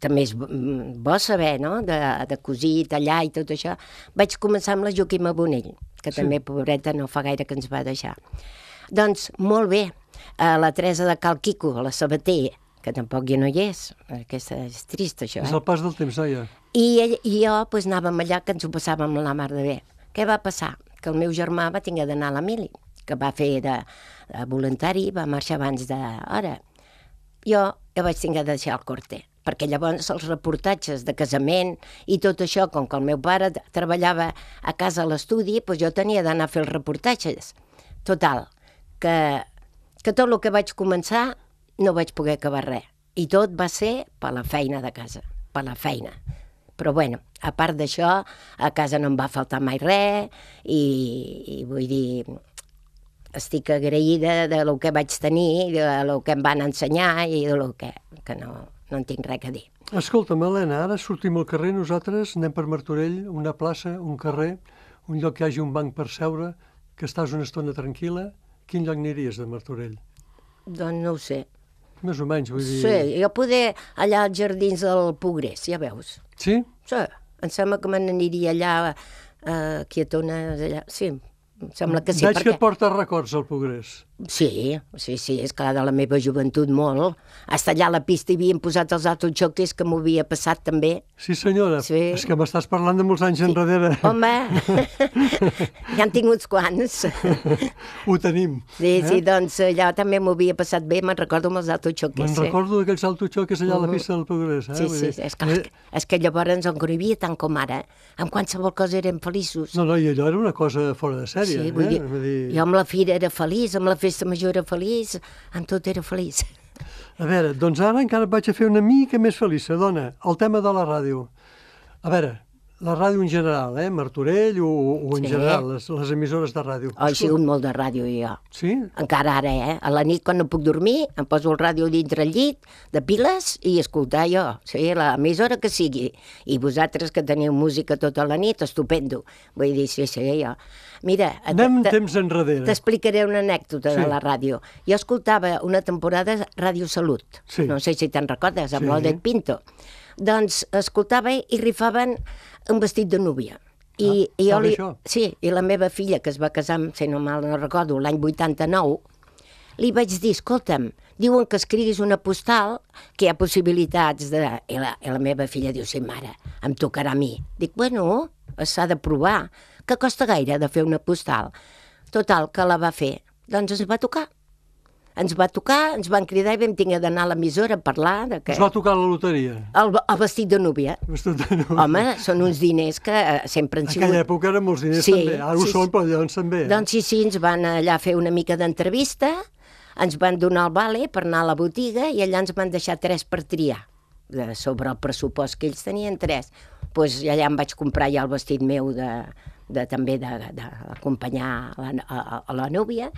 també és bo saber, no?, de cosir, tallar i tot això. Vaig començar amb la Joaquima Bonell, que també, pobreta, no fa gaire que ens va deixar. Doncs, molt bé, la Teresa de Cal Quico, la Sabater, que tampoc ja no hi és, aquesta és trist, això. És el pas del temps, noia. I jo doncs, anàvem allà, que ens ho passàvem la mar de bé. Què va passar? Que el meu germà va tenir d'anar a la mili, que va fer de voluntari, va marxar abans d'hora. Jo vaig tenir de deixar el corte, perquè llavors els reportatges de casament i tot això, com que el meu pare treballava a casa a l'estudi, doncs jo tenia d'anar a fer els reportatges. Total, que tot el que vaig començar no vaig poder acabar res. I tot va ser per la feina de casa, per la feina. Però bueno, a part d'això, a casa no em va faltar mai res i vull dir, estic agraïda de lo que vaig tenir, de lo que em van ensenyar i de lo que no en tinc res a dir. Escolta'm, Helena, ara sortim al carrer, nosaltres anem per Martorell, una plaça, un carrer, un lloc que hi hagi un banc per seure, que estàs una estona tranquil·la. Quin lloc aniries de Martorell? Doncs no ho sé. Més o menys, vull dir... Sí, jo poder allà als jardins del Progrés, ja veus. Sí? Sí, em sembla que me n'aniria allà, quietona, allà, sí. Em sembla que sí, Veig que et porta records al Progrés. Sí, és clar, de la meva joventut molt. Hasta allà a la pista hi havien posat els autojocs que m'ho havia passat també. Sí, senyora, sí. És que m'estàs parlant de molts anys enrere. Home, ja en tinc uns quants. Ho tenim. Sí, doncs allà també m'ho havia passat bé, me'n recordo amb els autojocs. Me'n recordo d'aquells autojocs allà a la pista del Progrés. Sí, és que llavors, on no hi havia tant com ara, amb qualsevol cosa érem feliços. No, i allò era una cosa fora de sèrie. Sí, vull dir, jo amb la fira era feliç, amb la festa major era feliç, amb tot era feliç. A veure, doncs ara encara et vaig a fer una mica més feliç, dona, el tema de la ràdio. A veure, la ràdio en general, Martorell o en general, les emissores de ràdio. He sigut molt de ràdio, jo. Sí? Encara ara, a la nit, quan no puc dormir, em poso el ràdio dintre el llit, de piles, i escoltar jo, sí, l'emissora que sigui. I vosaltres que teniu música tota la nit, estupendo. Vull dir, sí, jo. Mira, anem temps enrere. T'explicaré una anècdota de la ràdio. Jo escoltava una temporada Ràdio Salut, no sé si te'n recordes, amb l'Odet Pinto. Doncs escoltava i rifaven un vestit de núvia. I la meva filla, que es va casar, si no mal no recordo, l'any 89, li vaig dir, escolta'm, diuen que escriguis una postal, que hi ha possibilitats de... I la meva filla diu, sí, mare, em tocarà a mi. Dic, bueno, s'ha de provar. Que costa gaire de fer una postal? Total, que la va fer. Doncs ens va tocar. Ens van cridar i vam tenir d'anar a l'emissora a parlar de què... Us va tocar la loteria? El vestit de núvia. Home, són uns diners que sempre han sigut... En aquella època eren molts diners també, ara ho són, però llavors també. Doncs sí, ens van allà fer una mica d'entrevista, ens van donar el vale per anar a la botiga i allà ens van deixar 3 per triar. Sobre el pressupost que ells tenien 3. Doncs allà em vaig comprar ja el vestit meu també d'acompanyar a la núvia.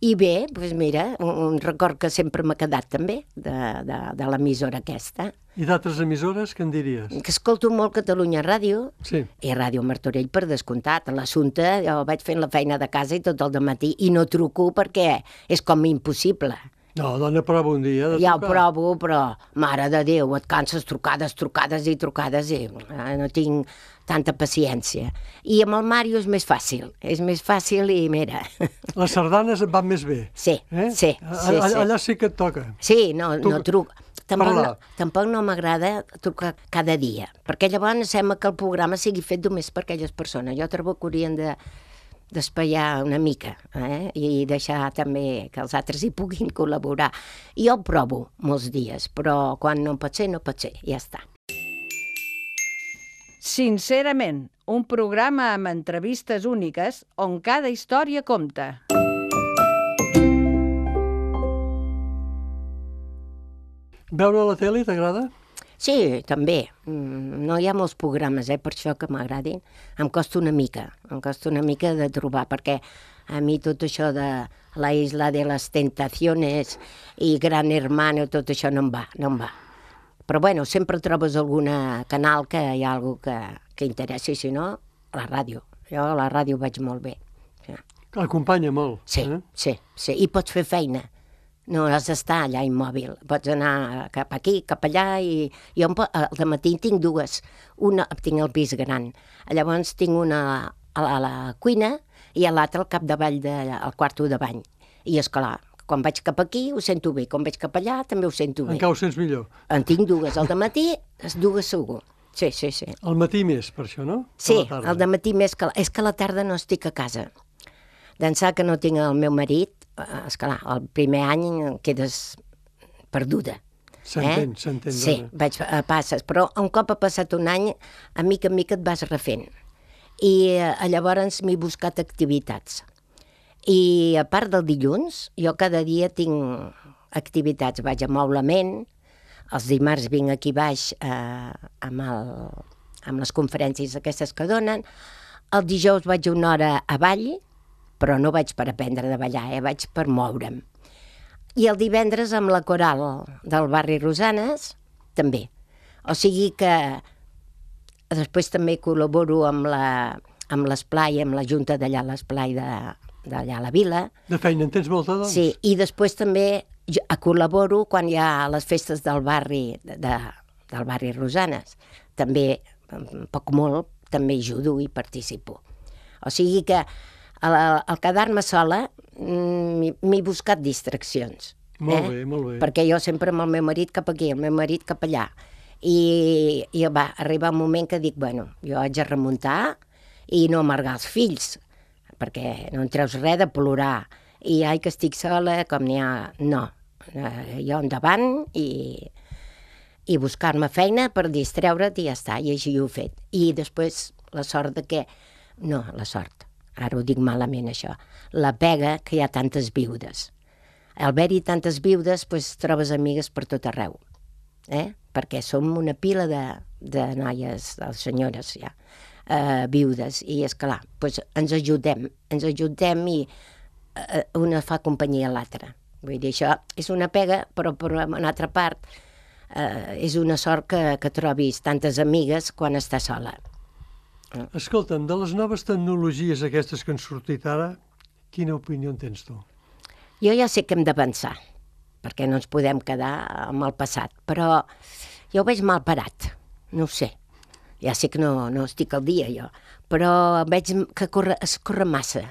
I bé, doncs mira, un record que sempre m'ha quedat també de l'emissora aquesta. I d'altres emissores, què en diries? Que escolto molt Catalunya Ràdio i Ràdio Martorell, per descomptat. A l'assumpte jo vaig fent la feina de casa i tot el dematí i no truco perquè és com impossible. No, dona, prova un dia de trucar. Ja ho provo, però, mare de Déu, et canses trucades i no tinc tanta paciència. I amb el Màrio és més fàcil i mira... Les sardanes et van més bé. Sí. Allà sí que et toca. Sí, no truco. Tampoc no m'agrada trucar cada dia, perquè llavors sembla que el programa sigui fet només per aquelles persones. Jo trobo que haurien d'espaiar una mica i deixar també que els altres hi puguin col·laborar. Jo ho provo molts dies, però quan no pot ser, ja està. Sincerament, un programa amb entrevistes úniques on cada història compta. Veure la tele t'agrada? Sí, també. No hi ha molts programes, per això que m'agradin. Em costa una mica de trobar, perquè a mi tot això de la Isla de les Tentaciones i Gran Hermano, tot això no em va. Però bueno, sempre trobes algun canal que hi ha alguna que interessi, si no, la ràdio. Jo a la ràdio vaig molt bé. Acompanya molt. Sí, i pots fer feina. No has d'estar allà immòbil. Pots anar cap aquí, cap allà, i jo al matí tinc dues. Una, tinc el pis gran. Llavors tinc una a la cuina i l'altra al capdavall al quarto de bany. I esclar, quan vaig cap aquí ho sento bé, quan vaig cap allà també ho sento bé. Encara ho sents millor. En tinc dues. Al dematí, les dues segur. Sí. Al matí més, per això, no? Sí, al dematí més que... És que a la tarda no estic a casa. D'ençà que no tinc el meu marit, esclar, el primer any quedes perduda. S'entén, sí, passes, però un cop ha passat un any, a mica et vas refent. I llavors m'he buscat activitats. I a part del dilluns, jo cada dia tinc activitats. Vaig a Moblament, els dimarts vinc aquí baix amb les conferències aquestes que donen, el dijous vaig una hora a ball, però no vaig per aprendre de ballar, vaig per moure'm. I el divendres amb la coral del barri Rosanes, també. O sigui que després també col·laboro amb l'esplai, amb la junta d'allà a l'esplai d'allà a la vila. De feina en tens molta, doncs? Sí, i després també col·laboro quan hi ha les festes del barri Rosanes. També, poc molt, també ajudo i participo. O sigui que al quedar-me sola m'he buscat distraccions. Molt bé, molt bé. Perquè jo sempre amb el meu marit cap aquí, el meu marit cap allà. I va arribar un moment que dic, bueno, jo haig de remuntar i no amargar els fills, perquè no en treus res de plorar. I ai, que estic sola, com n'hi ha... No, jo endavant i buscar-me feina per distreure't i ja està, i així ho he fet. I després la sort de que... No, la sort. Ara ho dic malament, això. La pega que hi ha tantes viudes. Al haver-hi tantes viudes, doncs trobes amigues per tot arreu. Perquè som una pila de noies, de senyores, ja, viudes. I, esclar, doncs ens ajudem i una fa companyia a l'altra. Vull dir, això és una pega, però per una altra part és una sort que trobis tantes amigues quan estàs sola. Escolta'm, de les noves tecnologies aquestes que han sortit ara, quina opinió en tens tu? Jo ja sé que hem d'avançar, perquè no ens podem quedar amb el passat, però jo ho veig mal parat, no ho sé. Ja sé que no estic al dia, jo, però veig que es corre massa.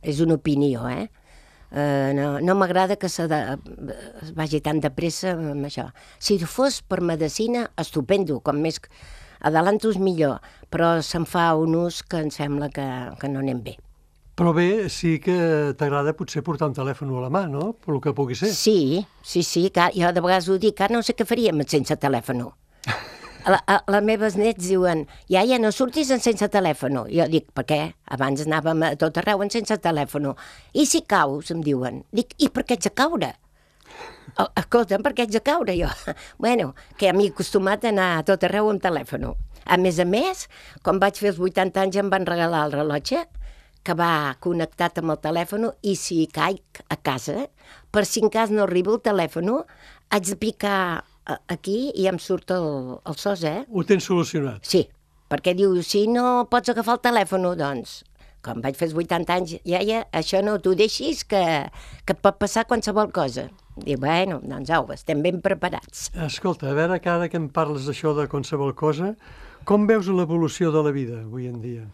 És una opinió, No m'agrada que es vagi tan de pressa amb això. Si fos per medicina, estupendo, com més adelantos millor, però se'n fa un ús que em sembla que no anem bé. Però bé, sí que t'agrada potser portar un telèfon a la mà, no? Per el que pugui ser. Sí, que jo de vegades ho dic, no sé què faríem sense telèfon. Les meves nets diuen, iaia, no surtis sense telèfon. Jo dic, per què? Abans anàvem a tot arreu sense telèfon. I si caus, em diuen. Dic, i per què ets a caure? Escolta'm, per què ets a caure, jo? Bueno, que m'he acostumat a anar a tot arreu amb telèfon. A més, quan vaig fer els 80 anys em van regalar el rellotge que va connectat amb el telèfon i si caic a casa, per si en cas no arriba el telèfon, haig de picar aquí i em surt el sos, Ho tens solucionat? Sí, perquè diu, si no pots agafar el telèfon, doncs, quan vaig fer els 80 anys, iaia, això no t'ho deixis, que et pot passar qualsevol cosa. Diu, bueno, doncs au, estem ben preparats. Escolta, a veure, cada que em parles d'això de qualsevol cosa, com veus l'evolució de la vida avui en dia?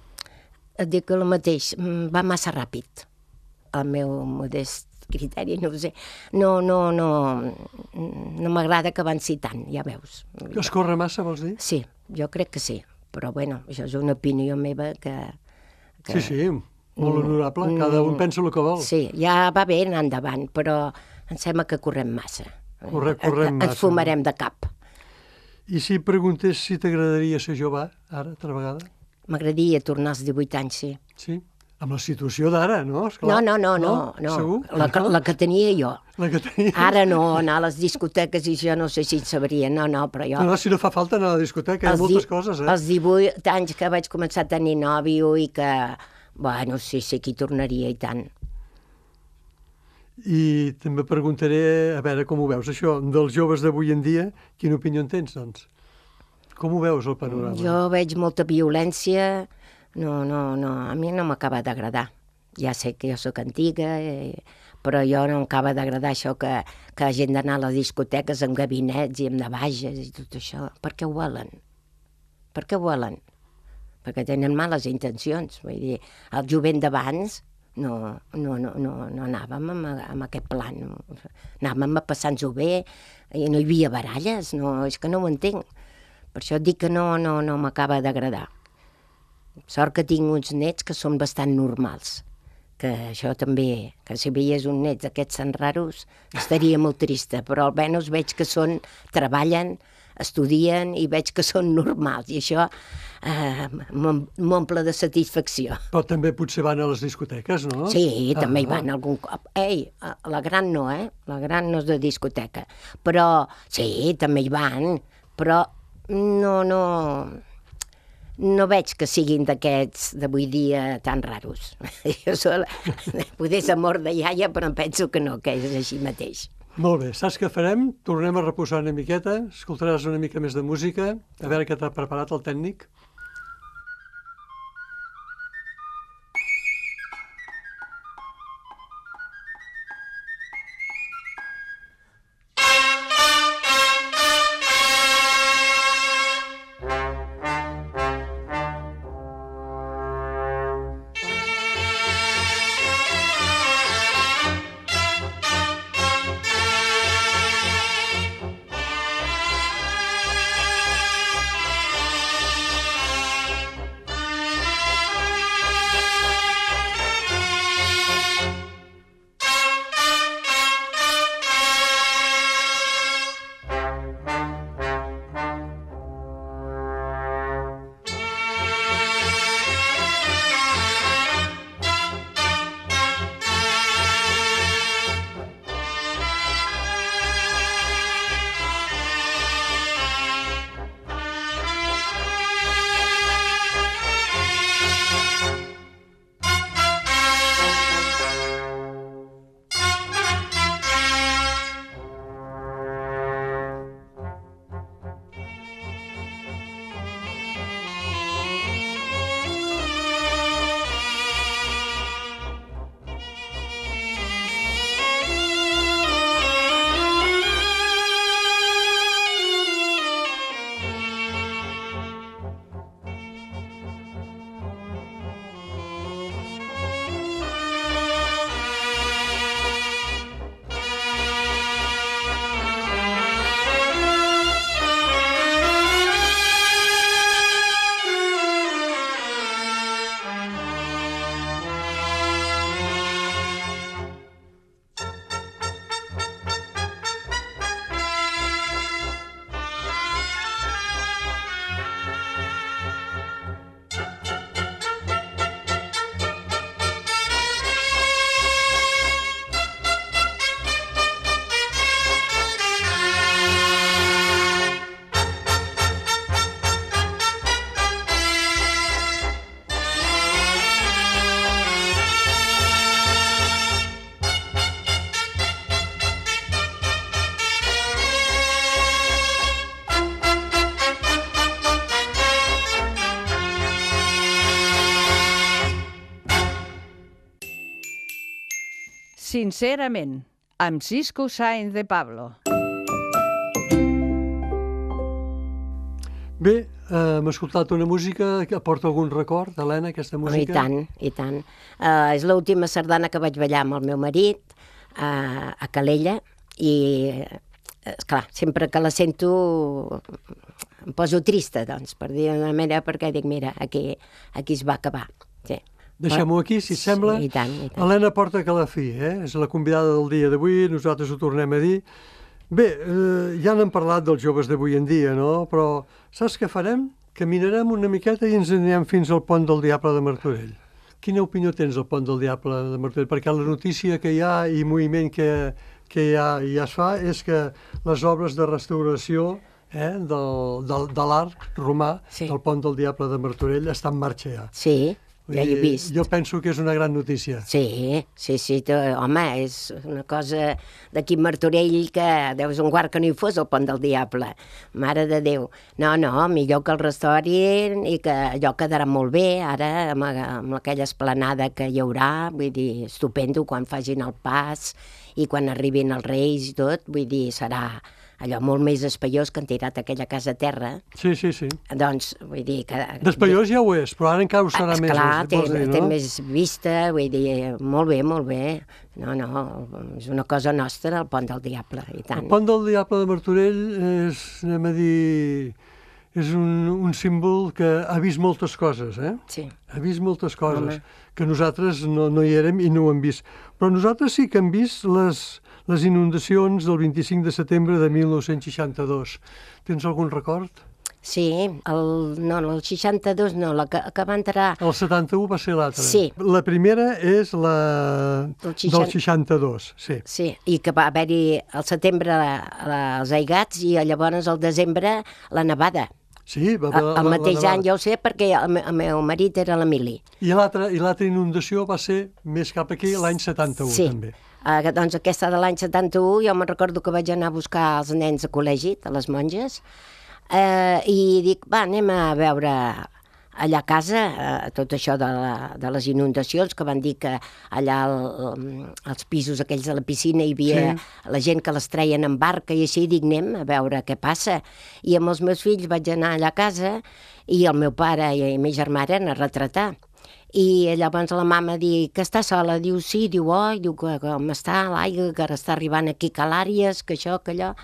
Et dic el mateix, va massa ràpid. El meu modest criteri, no ho sé. No m'agrada que avanci tant, ja veus. Es corre massa, vols dir? Sí, jo crec que sí. Però, bueno, això és una opinió meva que... Sí, molt honorable. Cada un pensa el que vol. Sí, ja va bé anar endavant, però em sembla que correm massa. Correm massa. Ens fumarem de cap. I si preguntés si t'agradaria ser jove, ara, altra vegada? M'agradaria tornar als 18 anys, sí. Sí? Amb la situació d'ara, no? Esclar. No. Segur? La que tenia jo. La que tenies? Ara no, anar a les discoteques i jo no sé si en sabria, no, però jo... No, si no fa falta anar a la discoteca, hi ha moltes coses, Els 18 anys que vaig començar a tenir nòvio i que, bueno, sí, que hi tornaria i tant. I també preguntaré, a veure com ho veus, això, dels joves d'avui en dia, quina opinió en tens, doncs? Com ho veus, el panorama? Jo veig molta violència, no, a mi no m'acaba d'agradar. Ja sé que jo sóc antiga, però jo no m'acaba d'agradar això que hagin d'anar a les discoteques amb gabinets i amb navages i tot això. Per què ho volen? Per què ho volen? Perquè tenen males intencions. Vull dir, el jovent d'abans no anàvem amb aquest plan. Anàvem a passar-nos-ho bé i no hi havia baralles. No, és que no ho entenc. Per això dic que no m'acaba d'agradar. Sort que tinc uns nets que són bastant normals. Que això també, que si veies un net d'aquests tan raros, estaria molt trista, però almenys veig que treballen, estudien i veig que són normals, i això m'omple de satisfacció. Però també potser van a les discoteques, no? Sí, també hi van algun cop. Ei, la gran no, la gran no és de discoteca, però sí, també hi van, però no veig que siguin d'aquests d'avui dia tan raros. Jo potser és amor de iaia, però em penso que no, que és així mateix. Molt bé, saps què farem? Tornem a reposar una miqueta, escoltaràs una mica més de música, a veure què t'ha preparat el tècnic. Sincerament, amb Cisco Sáenz de Pablo. Bé, hem escoltat una música que aporta algun record, Helena, aquesta música? I tant. És l'última sardana que vaig ballar amb el meu marit a Calella i, esclar, sempre que la sento em poso trista, doncs, per dir d'una manera, perquè dic, mira, aquí es va acabar. Sí. Deixem-ho aquí, si et sembla. Sí, i tant. Helena Porta Calafí, és la convidada del dia d'avui, nosaltres ho tornem a dir. Bé, ja n'hem parlat dels joves d'avui en dia, no? Però saps què farem? Caminarem una miqueta i ens anirem fins al Pont del Diable de Martorell. Quina opinió tens del Pont del Diable de Martorell? Perquè la notícia que hi ha i moviment que que ja es fa és que les obres de restauració de l'arc romà del Pont del Diable de Martorell està en marxa ja. Sí, ja he vist. Jo penso que és una gran notícia. Sí, home, és una cosa d'aquí a Martorell que deus un guard que no hi fos el Pont del Diable. Mare de Déu. No, millor que el restaurin i que allò quedarà molt bé, ara amb aquella esplanada que hi haurà, vull dir, estupendo quan facin el pas i quan arribin els Reis i tot, vull dir, serà allò molt més espaiós que han tirat aquella casa a terra. Sí. Doncs, vull dir que... D'espaiós ja ho és, però ara encara ho serà més. Esclar, té més vista, vull dir, molt bé. No, és una cosa nostra, el Pont del Diable, i tant. El Pont del Diable de Martorell és, anem a dir, és un símbol que ha vist moltes coses, Sí. Ha vist moltes coses, que nosaltres no hi érem i no ho hem vist. Però nosaltres sí que hem vist les inundacions del 25 de setembre de 1962. Tens algun record? Sí, el 62 no, la que va entrar... El 71 va ser l'altra. Sí. La primera és la del 62, sí. Sí, i que va haver-hi al setembre els aigats i llavors al desembre la nevada. Sí, el mateix any, jo ho sé, perquè el meu marit era l'Emili. I l'altra inundació va ser més cap aquí, l'any 71, també. Doncs aquesta de l'any 71, jo me'n recordo que vaig anar a buscar els nens a col·legi, a les monges, i dic, anem a veure allà a casa tot això de les inundacions, que van dir que allà als pisos aquells de la piscina hi havia la gent que les treien en barca i així, dic, anem a veure què passa. I amb els meus fills vaig anar allà a casa i el meu pare i la meva germana eren a retratar. I llavors la mama diu que està sola, diu sí, diu que com està l'aigua, que ara està arribant aquí calàries, que això, que allò.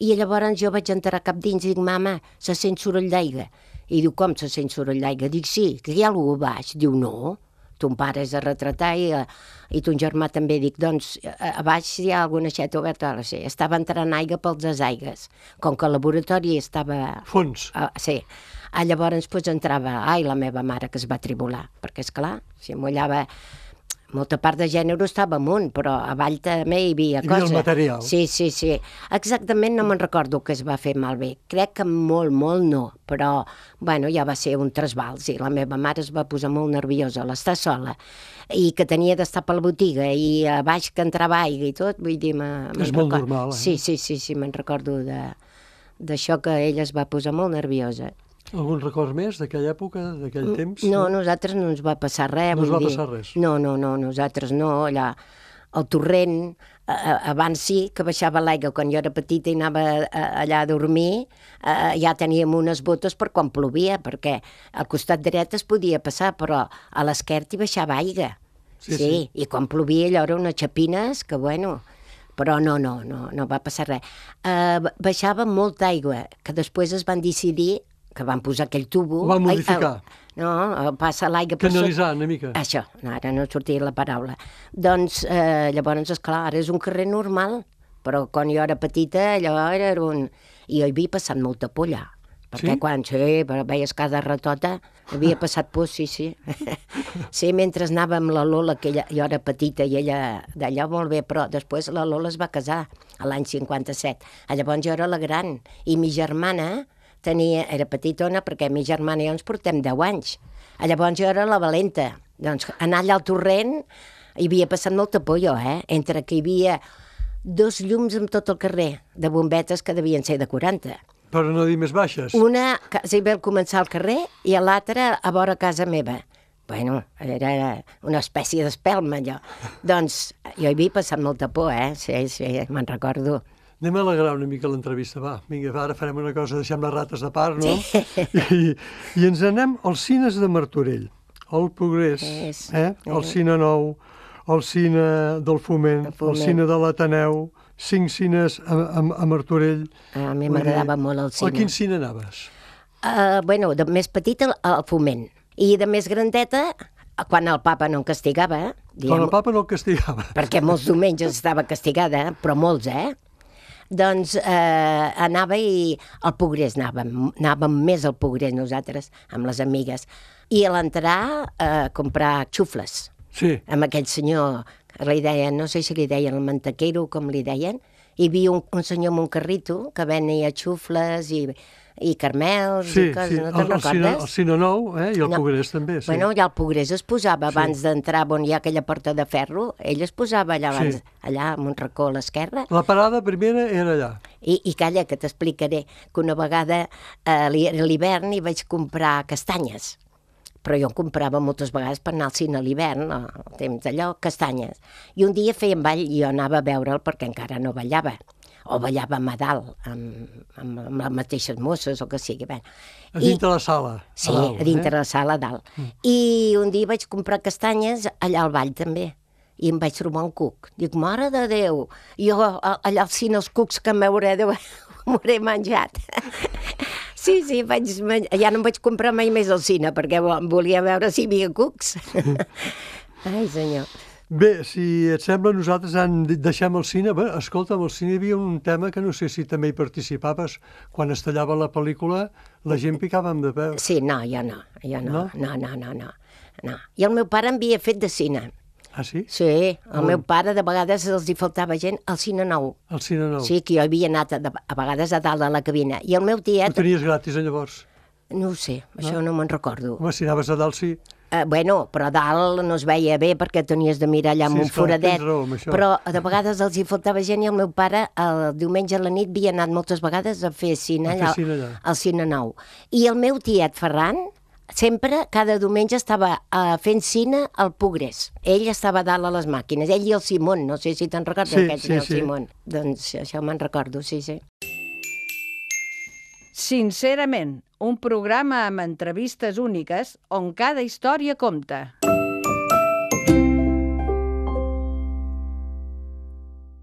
I llavors jo vaig entrar cap dins i dic, mama, se sent soroll d'aigua. I diu, com se sent soroll d'aigua? Dic, sí, que hi ha algú baix. Diu, no, ton pare és a retratar i ton germà també. Dic, doncs, a baix hi ha alguna aixeta oberta. Sí, estava entrant aigua pels desaigues. Com que el laboratori estava... Fons. Sí. Llavors entrava, la meva mare que es va tribular, perquè esclar, si mullava, molta part de gènere estava amunt, però avall també hi havia cosa. Hi havia el material. Sí. Exactament no me'n recordo que es va fer malbé. Crec que molt no, però, ja va ser un trasbals i la meva mare es va posar molt nerviosa, l'estar sola, i que tenia d'estar per la botiga, i a baix que entrava aigua i tot, vull dir... És molt normal, Sí, me'n recordo d'això que ella es va posar molt nerviosa. Algun record més d'aquella època, d'aquell temps? No, a nosaltres no ens va passar res. No us va passar res? No, nosaltres no, allà, el torrent, abans sí que baixava l'aigua, quan jo era petita i anava allà a dormir, ja teníem unes botes per quan plovia, perquè al costat dret es podia passar, però a l'esquerra hi baixava aigua. Sí, i quan plovia allò eren unes xapines que, però no va passar res. Baixava molta aigua, que després es van decidir que van posar aquell tubo... Ho van modificar. Passa l'aigua... Canalitzar una mica. Això, ara no sortia la paraula. Doncs, llavors, esclar, ara és un carrer normal, però quan jo era petita, allò era un... I jo hi havia passat molta por allà, perquè quan veies cada ratota, havia passat por, sí. Sí, mentre anava amb la Lola, que jo era petita i ella d'allò molt bé, però després la Lola es va casar l'any 57. Llavors jo era la gran, i mi germana... era petitona perquè mi germana i jo ens portem 10 anys. Llavors jo era la valenta. Doncs anar allà al torrent hi havia passat molta por jo, entre que hi havia 2 llums en tot el carrer, de bombetes que devien ser de 40. Però no dir més baixes. Una quasi bé al començar al carrer i l'altra a vora casa meva. Era una espècie d'espelma, allò. Doncs jo hi havia passat molta por, Sí, me'n recordo. Anem a alegrar una mica l'entrevista, va. Vinga, ara farem una cosa, deixem les rates de part, no? Sí. I ens anem als cines de Martorell, al Progrés, el Cine Nou, el Cine del Foment, el Cine de l'Ateneu, 5 cines a Martorell. A mi m'agradava molt el cine. A quin cine anaves? De més petita al Foment, i de més grandeta, quan el papa no em castigava. Quan el papa no el castigava. Perquè molts diumenges estava castigada, però molts, Doncs anava i al Progrés anàvem més al Progrés nosaltres, amb les amigues. I a l'entrar a comprar xufles. Sí. amb aquell senyor, li deien, no sé si li deien el mantequero, com li deien, hi havia un senyor amb un carrito que venia xufles i carmels i coses, no te'n recordes? El Sinanou, i el Pogrés també, sí. Bueno, allà el Pogrés es posava abans d'entrar on hi ha aquella porta de ferro, ell es posava allà abans, allà amb un racó a l'esquerra. La parada primera era allà. I calla, que t'explicaré que una vegada a l'hivern hi vaig comprar castanyes, però jo en comprava moltes vegades per anar al cine a l'hivern, al temps d'allò, castanyes. I un dia feien ball i jo anava a veure'l perquè encara no ballava, o ballàvem a dalt, amb les mateixes mosses o que sigui. A dintre la sala. Sí, a dintre la sala a dalt. I un dia vaig comprar castanyes allà al ball també, i em vaig trobar un cuc. Dic, mare de Déu, jo allà al cine els cucs que m'hauré menjat. Sí, ja no em vaig comprar mai més al cine, perquè volia veure si hi havia cucs. Ai, senyor. Bé, si et sembla, nosaltres deixem el cine. Bé, escolta, al cine hi havia un tema que no sé si també hi participaves. Quan es tallava la pel·lícula, la gent picàvem de peu. Sí, no, jo no. No. I el meu pare em havia fet de cine. Ah, sí? Sí, el meu pare de vegades els hi faltava gent al Cine Nou. Al Cine Nou. Sí, que jo havia anat a vegades a dalt de la cabina. I el meu tiet... Ho tenies gratis, llavors? No ho sé, això no me'n recordo. Home, si anaves a dalt, sí. Bueno, però a dalt no es veia bé perquè tenies de mirar allà amb un foradet. Raó, amb això. Però de vegades els hi faltava gent i el meu pare el diumenge a la nit havia anat moltes vegades a fer cine allà al Cine Nou. I el meu tiet Ferran sempre, cada diumenge, estava fent cine al Pogrés. Ell estava dalt a les màquines, ell i el Simón, no sé si te'n recordes aquest senyor Simón. Doncs això me'n recordo, sí. Sincerament, un programa amb entrevistes úniques on cada història compta.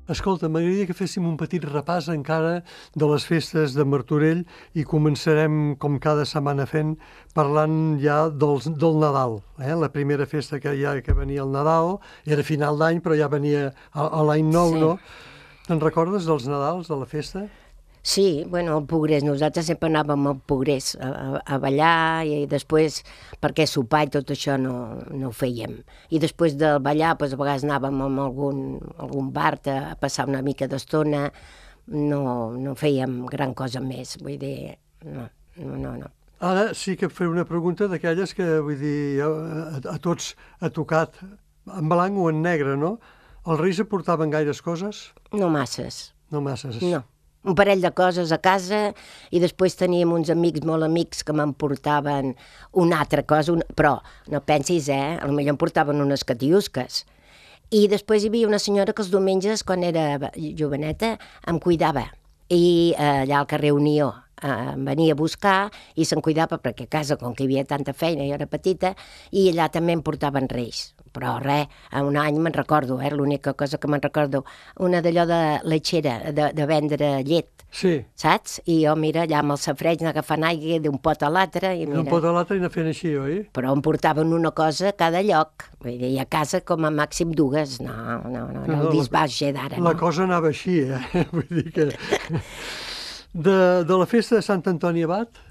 Escolta, m'agradaria que féssim un petit repàs encara de les festes de Martorell i començarem, com cada setmana fent, parlant ja del Nadal. La primera festa que venia el Nadal era final d'any, però ja venia a l'any nou, no? Te'n recordes dels Nadals, de la festa? Sí, bueno, al Pogrés, nosaltres sempre anàvem al Pogrés a ballar i després, perquè sopar i tot això no ho fèiem. I després de ballar, doncs, a vegades anàvem a algun bar a passar una mica d'estona, no fèiem gran cosa més, vull dir, no. Ara sí que faré una pregunta d'aquelles que, vull dir, a tots ha tocat en blanc o en negre, no? Els Reis aportaven gaires coses? No masses. No masses? No. Un parell de coses a casa i després teníem uns amics molt amics que m'emportaven una altra cosa, però no pensis, potser em portaven unes catiusques. I després hi havia una senyora que els diumenges, quan era joveneta, em cuidava. I allà al carrer Unió em venia a buscar i se'n cuidava perquè a casa, com que hi havia tanta feina, jo era petita, i allà també em portaven Reis. Però res, un any me'n recordo, l'única cosa que me'n recordo, una d'allò de letxera, de vendre llet, saps? I jo, mira, allà amb el safreig anar agafant aigua d'un pot a l'altre. D'un pot a l'altre i anar fent així, oi? Però em portaven una cosa a cada lloc, vull dir, a casa com a màxim dues, no el disbauxe d'ara, no. La cosa anava així, vull dir que... De la festa de Sant Antoni Abat?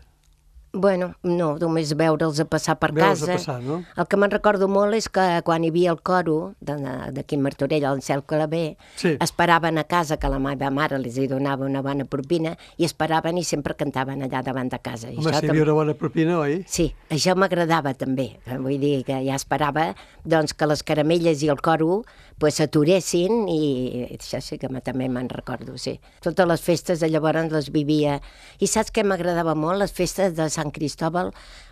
Bueno, no, només veure'ls a passar per casa. A passar, no? El que me'n recordo molt és que quan hi havia el coro d'aquí a Martorell, al Cel Claver, esperaven a casa, que la meva mare els hi donava una bona propina, i esperaven i sempre cantaven allà davant de casa. Home, si hi havia una bona propina, oi? Sí, això m'agradava també. Vull dir que ja esperava que les caramelles i el coro s'aturessin i això sí que també me'n recordo, sí. Totes les festes de llavors les vivia. I saps què m'agradava molt? Les festes de Sant Cristòbal,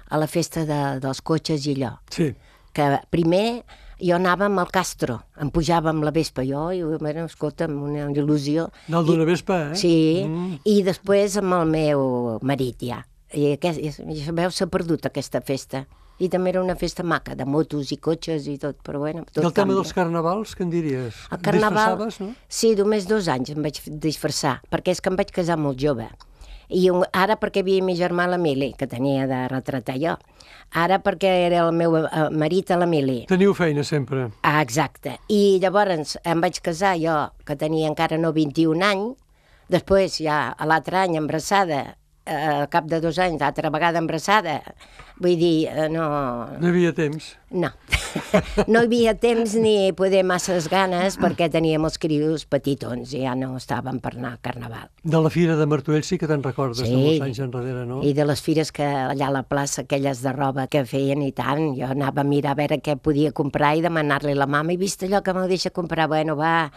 a la festa dels cotxes i allò. Sí. Que primer jo anava amb el Castro, em pujava amb la Vespa, escolta, amb una il·lusió. Anava d'una Vespa, Sí, i després amb el meu marit ja. I veus, s'ha perdut aquesta festa. I també era una festa maca, de motos i cotxes i tot, però bueno, tot canvia. I el tema dels carnavals, què en diries? El carnaval, disfressaves, no? Sí, només 2 anys em vaig disfressar, perquè és que em vaig casar molt jove. I ara perquè havia mi germà l'Emili, que tenia de retratar jo. Ara perquè era el meu marit a l'Emili. Teniu feina sempre. Ah, exacte. I llavors em vaig casar jo, que tenia encara no 21 anys, després ja a l'altre any embarassada al cap de 2 anys, altra vegada embarassada. Vull dir, no... No hi havia temps. No. No hi havia temps ni poder masses ganes perquè teníem els crios petitons i ja no estàvem per anar a Carnaval. De la Fira de Martorell sí que te'n recordes, de molts anys enrere, no? I de les fires que allà a la plaça, aquelles de roba que feien i tant, jo anava a mirar a veure què podia comprar i demanar-li a la mama, he vist allò que m'ho deixa comprar, bueno, va,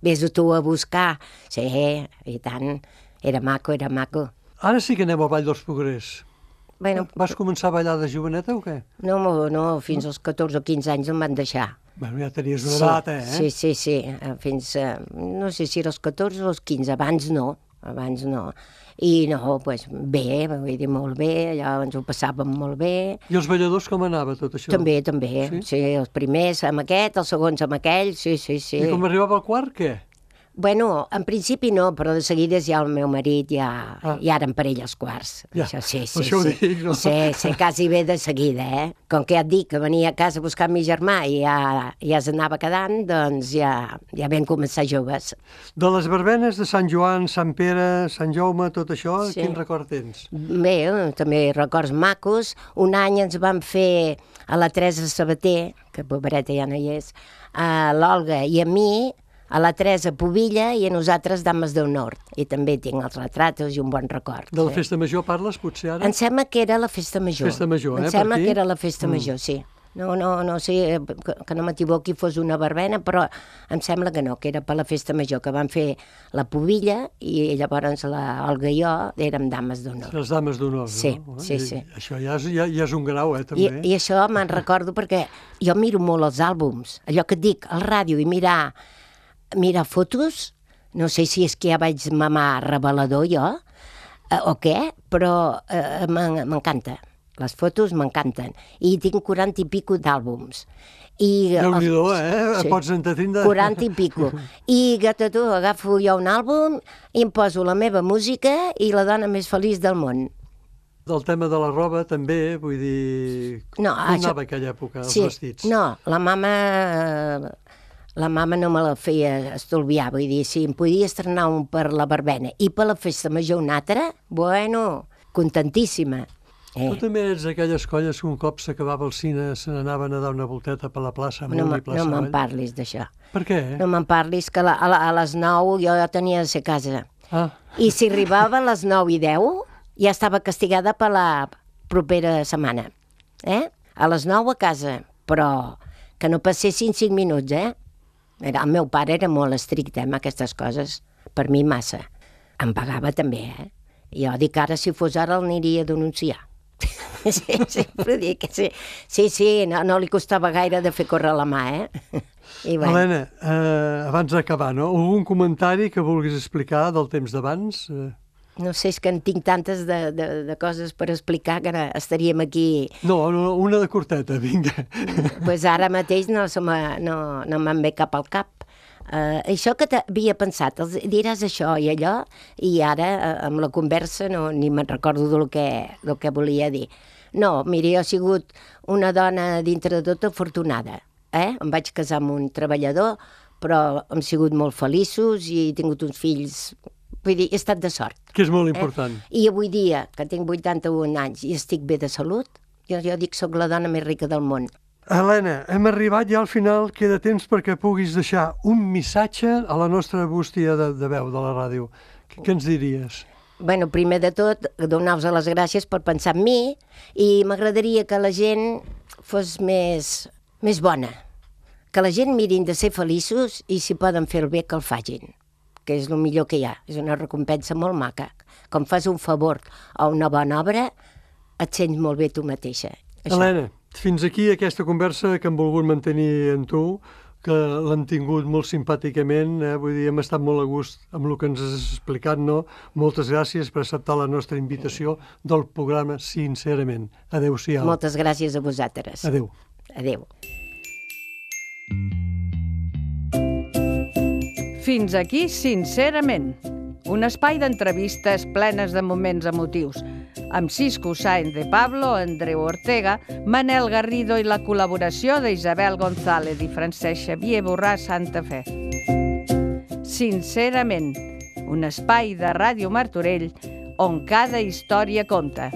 vés-ho tu a buscar. Sí, i tant, era maco, era maco. Ara sí que anem al Ball dels Progrés. Bueno, Vas començar a ballar de joveneta o què? no, fins als 14 o 15 anys em van deixar. Bueno, ja tenies una edat, eh? Sí, fins, no sé si era els 14 o els 15, abans no. I no, doncs bé, vull dir, molt bé, allà ens ho passàvem molt bé. I els balladors com anava tot això? També, sí, els primers amb aquest, els segons amb aquell, sí. I com arribava al quart, què? Bueno, en principi no, però de seguida ja el meu marit ja eren per ell els quarts. Ja, això, sí. Això ho dic, no? Sí, quasi bé de seguida, eh? Com que ja et dic que venia a casa a buscar mi germà i ja s'anava quedant, doncs ja vam començar joves. De les verbenes de Sant Joan, Sant Pere, Sant Jaume, tot això, quin record tens? Bé, també records macos. Un any ens van fer a la Teresa Sabater, que pobreta ja no hi és, a l'Olga i a mi, a la Teresa Pubilla i a nosaltres Dames del Nord. I també tinc els retratos i un bon record. De la festa major parles, potser, ara? Em sembla que era la festa major. Festa major, Em sembla que era la festa major, sí. No sé, que no m'equivoqui, fos una verbena, però em sembla que no, que era per la festa major, que van fer la Pubilla i llavors Olga i jo érem Dames d'Honor. Les Dames d'Honor, sí, no? Sí. Això ja és un grau, també. I això me'n recordo perquè jo miro molt els àlbums, allò que et dic, al ràdio i mirar fotos, no sé si és que ja vaig mamar revelador jo, o què, però m'encanta. Les fotos m'encanten. I tinc 40 i pico d'àlbums. Déu-n'hi-do, Sí. Pots entretindre... 40 i pico. I tu, agafo jo un àlbum i em poso la meva música i la dona més feliç del món. Del tema de la roba, també, vull dir... No, com anava aquella època, els vestits? No, la mama no me la feia estolviar, vull dir, si em podia estrenar un per la verbena i per la festa major un altre, bueno, contentíssima. Tu també ets d'aquelles colles que un cop s'acabava el cine se n'anaven a dar una volteta per la plaça Amunt i plaça Avall? No me'n parlis d'això. Per què? No me'n parlis, que a les 9 jo ja tenia de ser a casa. I si arribava a les 9 i 10, ja estava castigada per la propera setmana. A les 9 a casa, però que no passessin 5 minuts, El meu pare era molt estricte amb aquestes coses, per mi massa. Em pagava també, Jo dic ara, si fos ara, l'aniria a denunciar. Sí, sempre dic que sí. Sí, no li costava gaire de fer córrer la mà, I bueno. Helena, abans d'acabar, no? Algun comentari que vulguis explicar del temps d'abans? No sé, és que en tinc tantes de coses per explicar que estaríem aquí... No, una de curteta, vinga. Doncs ara mateix no me'n ve cap al cap. Això que havia pensat, diràs això i allò, i ara amb la conversa ni me'n recordo del que volia dir. No, mira, jo he sigut una dona dintre de tot afortunada. Em vaig casar amb un treballador, però hem sigut molt feliços i he tingut uns fills... Vull dir, he estat de sort. Que és molt important. I avui dia, que tinc 81 anys i estic bé de salut, jo dic que soc la dona més rica del món. Helena, hem arribat ja al final, queda temps perquè puguis deixar un missatge a la nostra bústia de veu de la ràdio. Què ens diries? Bueno, primer de tot, donar-vos les gràcies per pensar en mi i m'agradaria que la gent fos més bona. Que la gent mirin de ser feliços i si poden fer el bé que el facin, que és el millor que hi ha. És una recompensa molt maca. Com fas un favor o una bona obra, et sents molt bé tu mateixa. Això. Helena, fins aquí aquesta conversa que hem volgut mantenir amb tu, que l'hem tingut molt simpàticament, vull dir, hem estat molt a gust amb el que ens has explicat, no? Moltes gràcies per acceptar la nostra invitació del programa Sincerament. Adéu-siau. Moltes gràcies a vosaltres. Adéu. Adéu. Fins aquí, Sincerament, un espai d'entrevistes plenes de moments emotius, amb Cisco Sáenz de Pablo, Andreu Ortega, Manel Garrido i la col·laboració d'Isabel González i Francesc Xavier Borràs Santa Fe. Sincerament, un espai de Ràdio Martorell on cada història compta.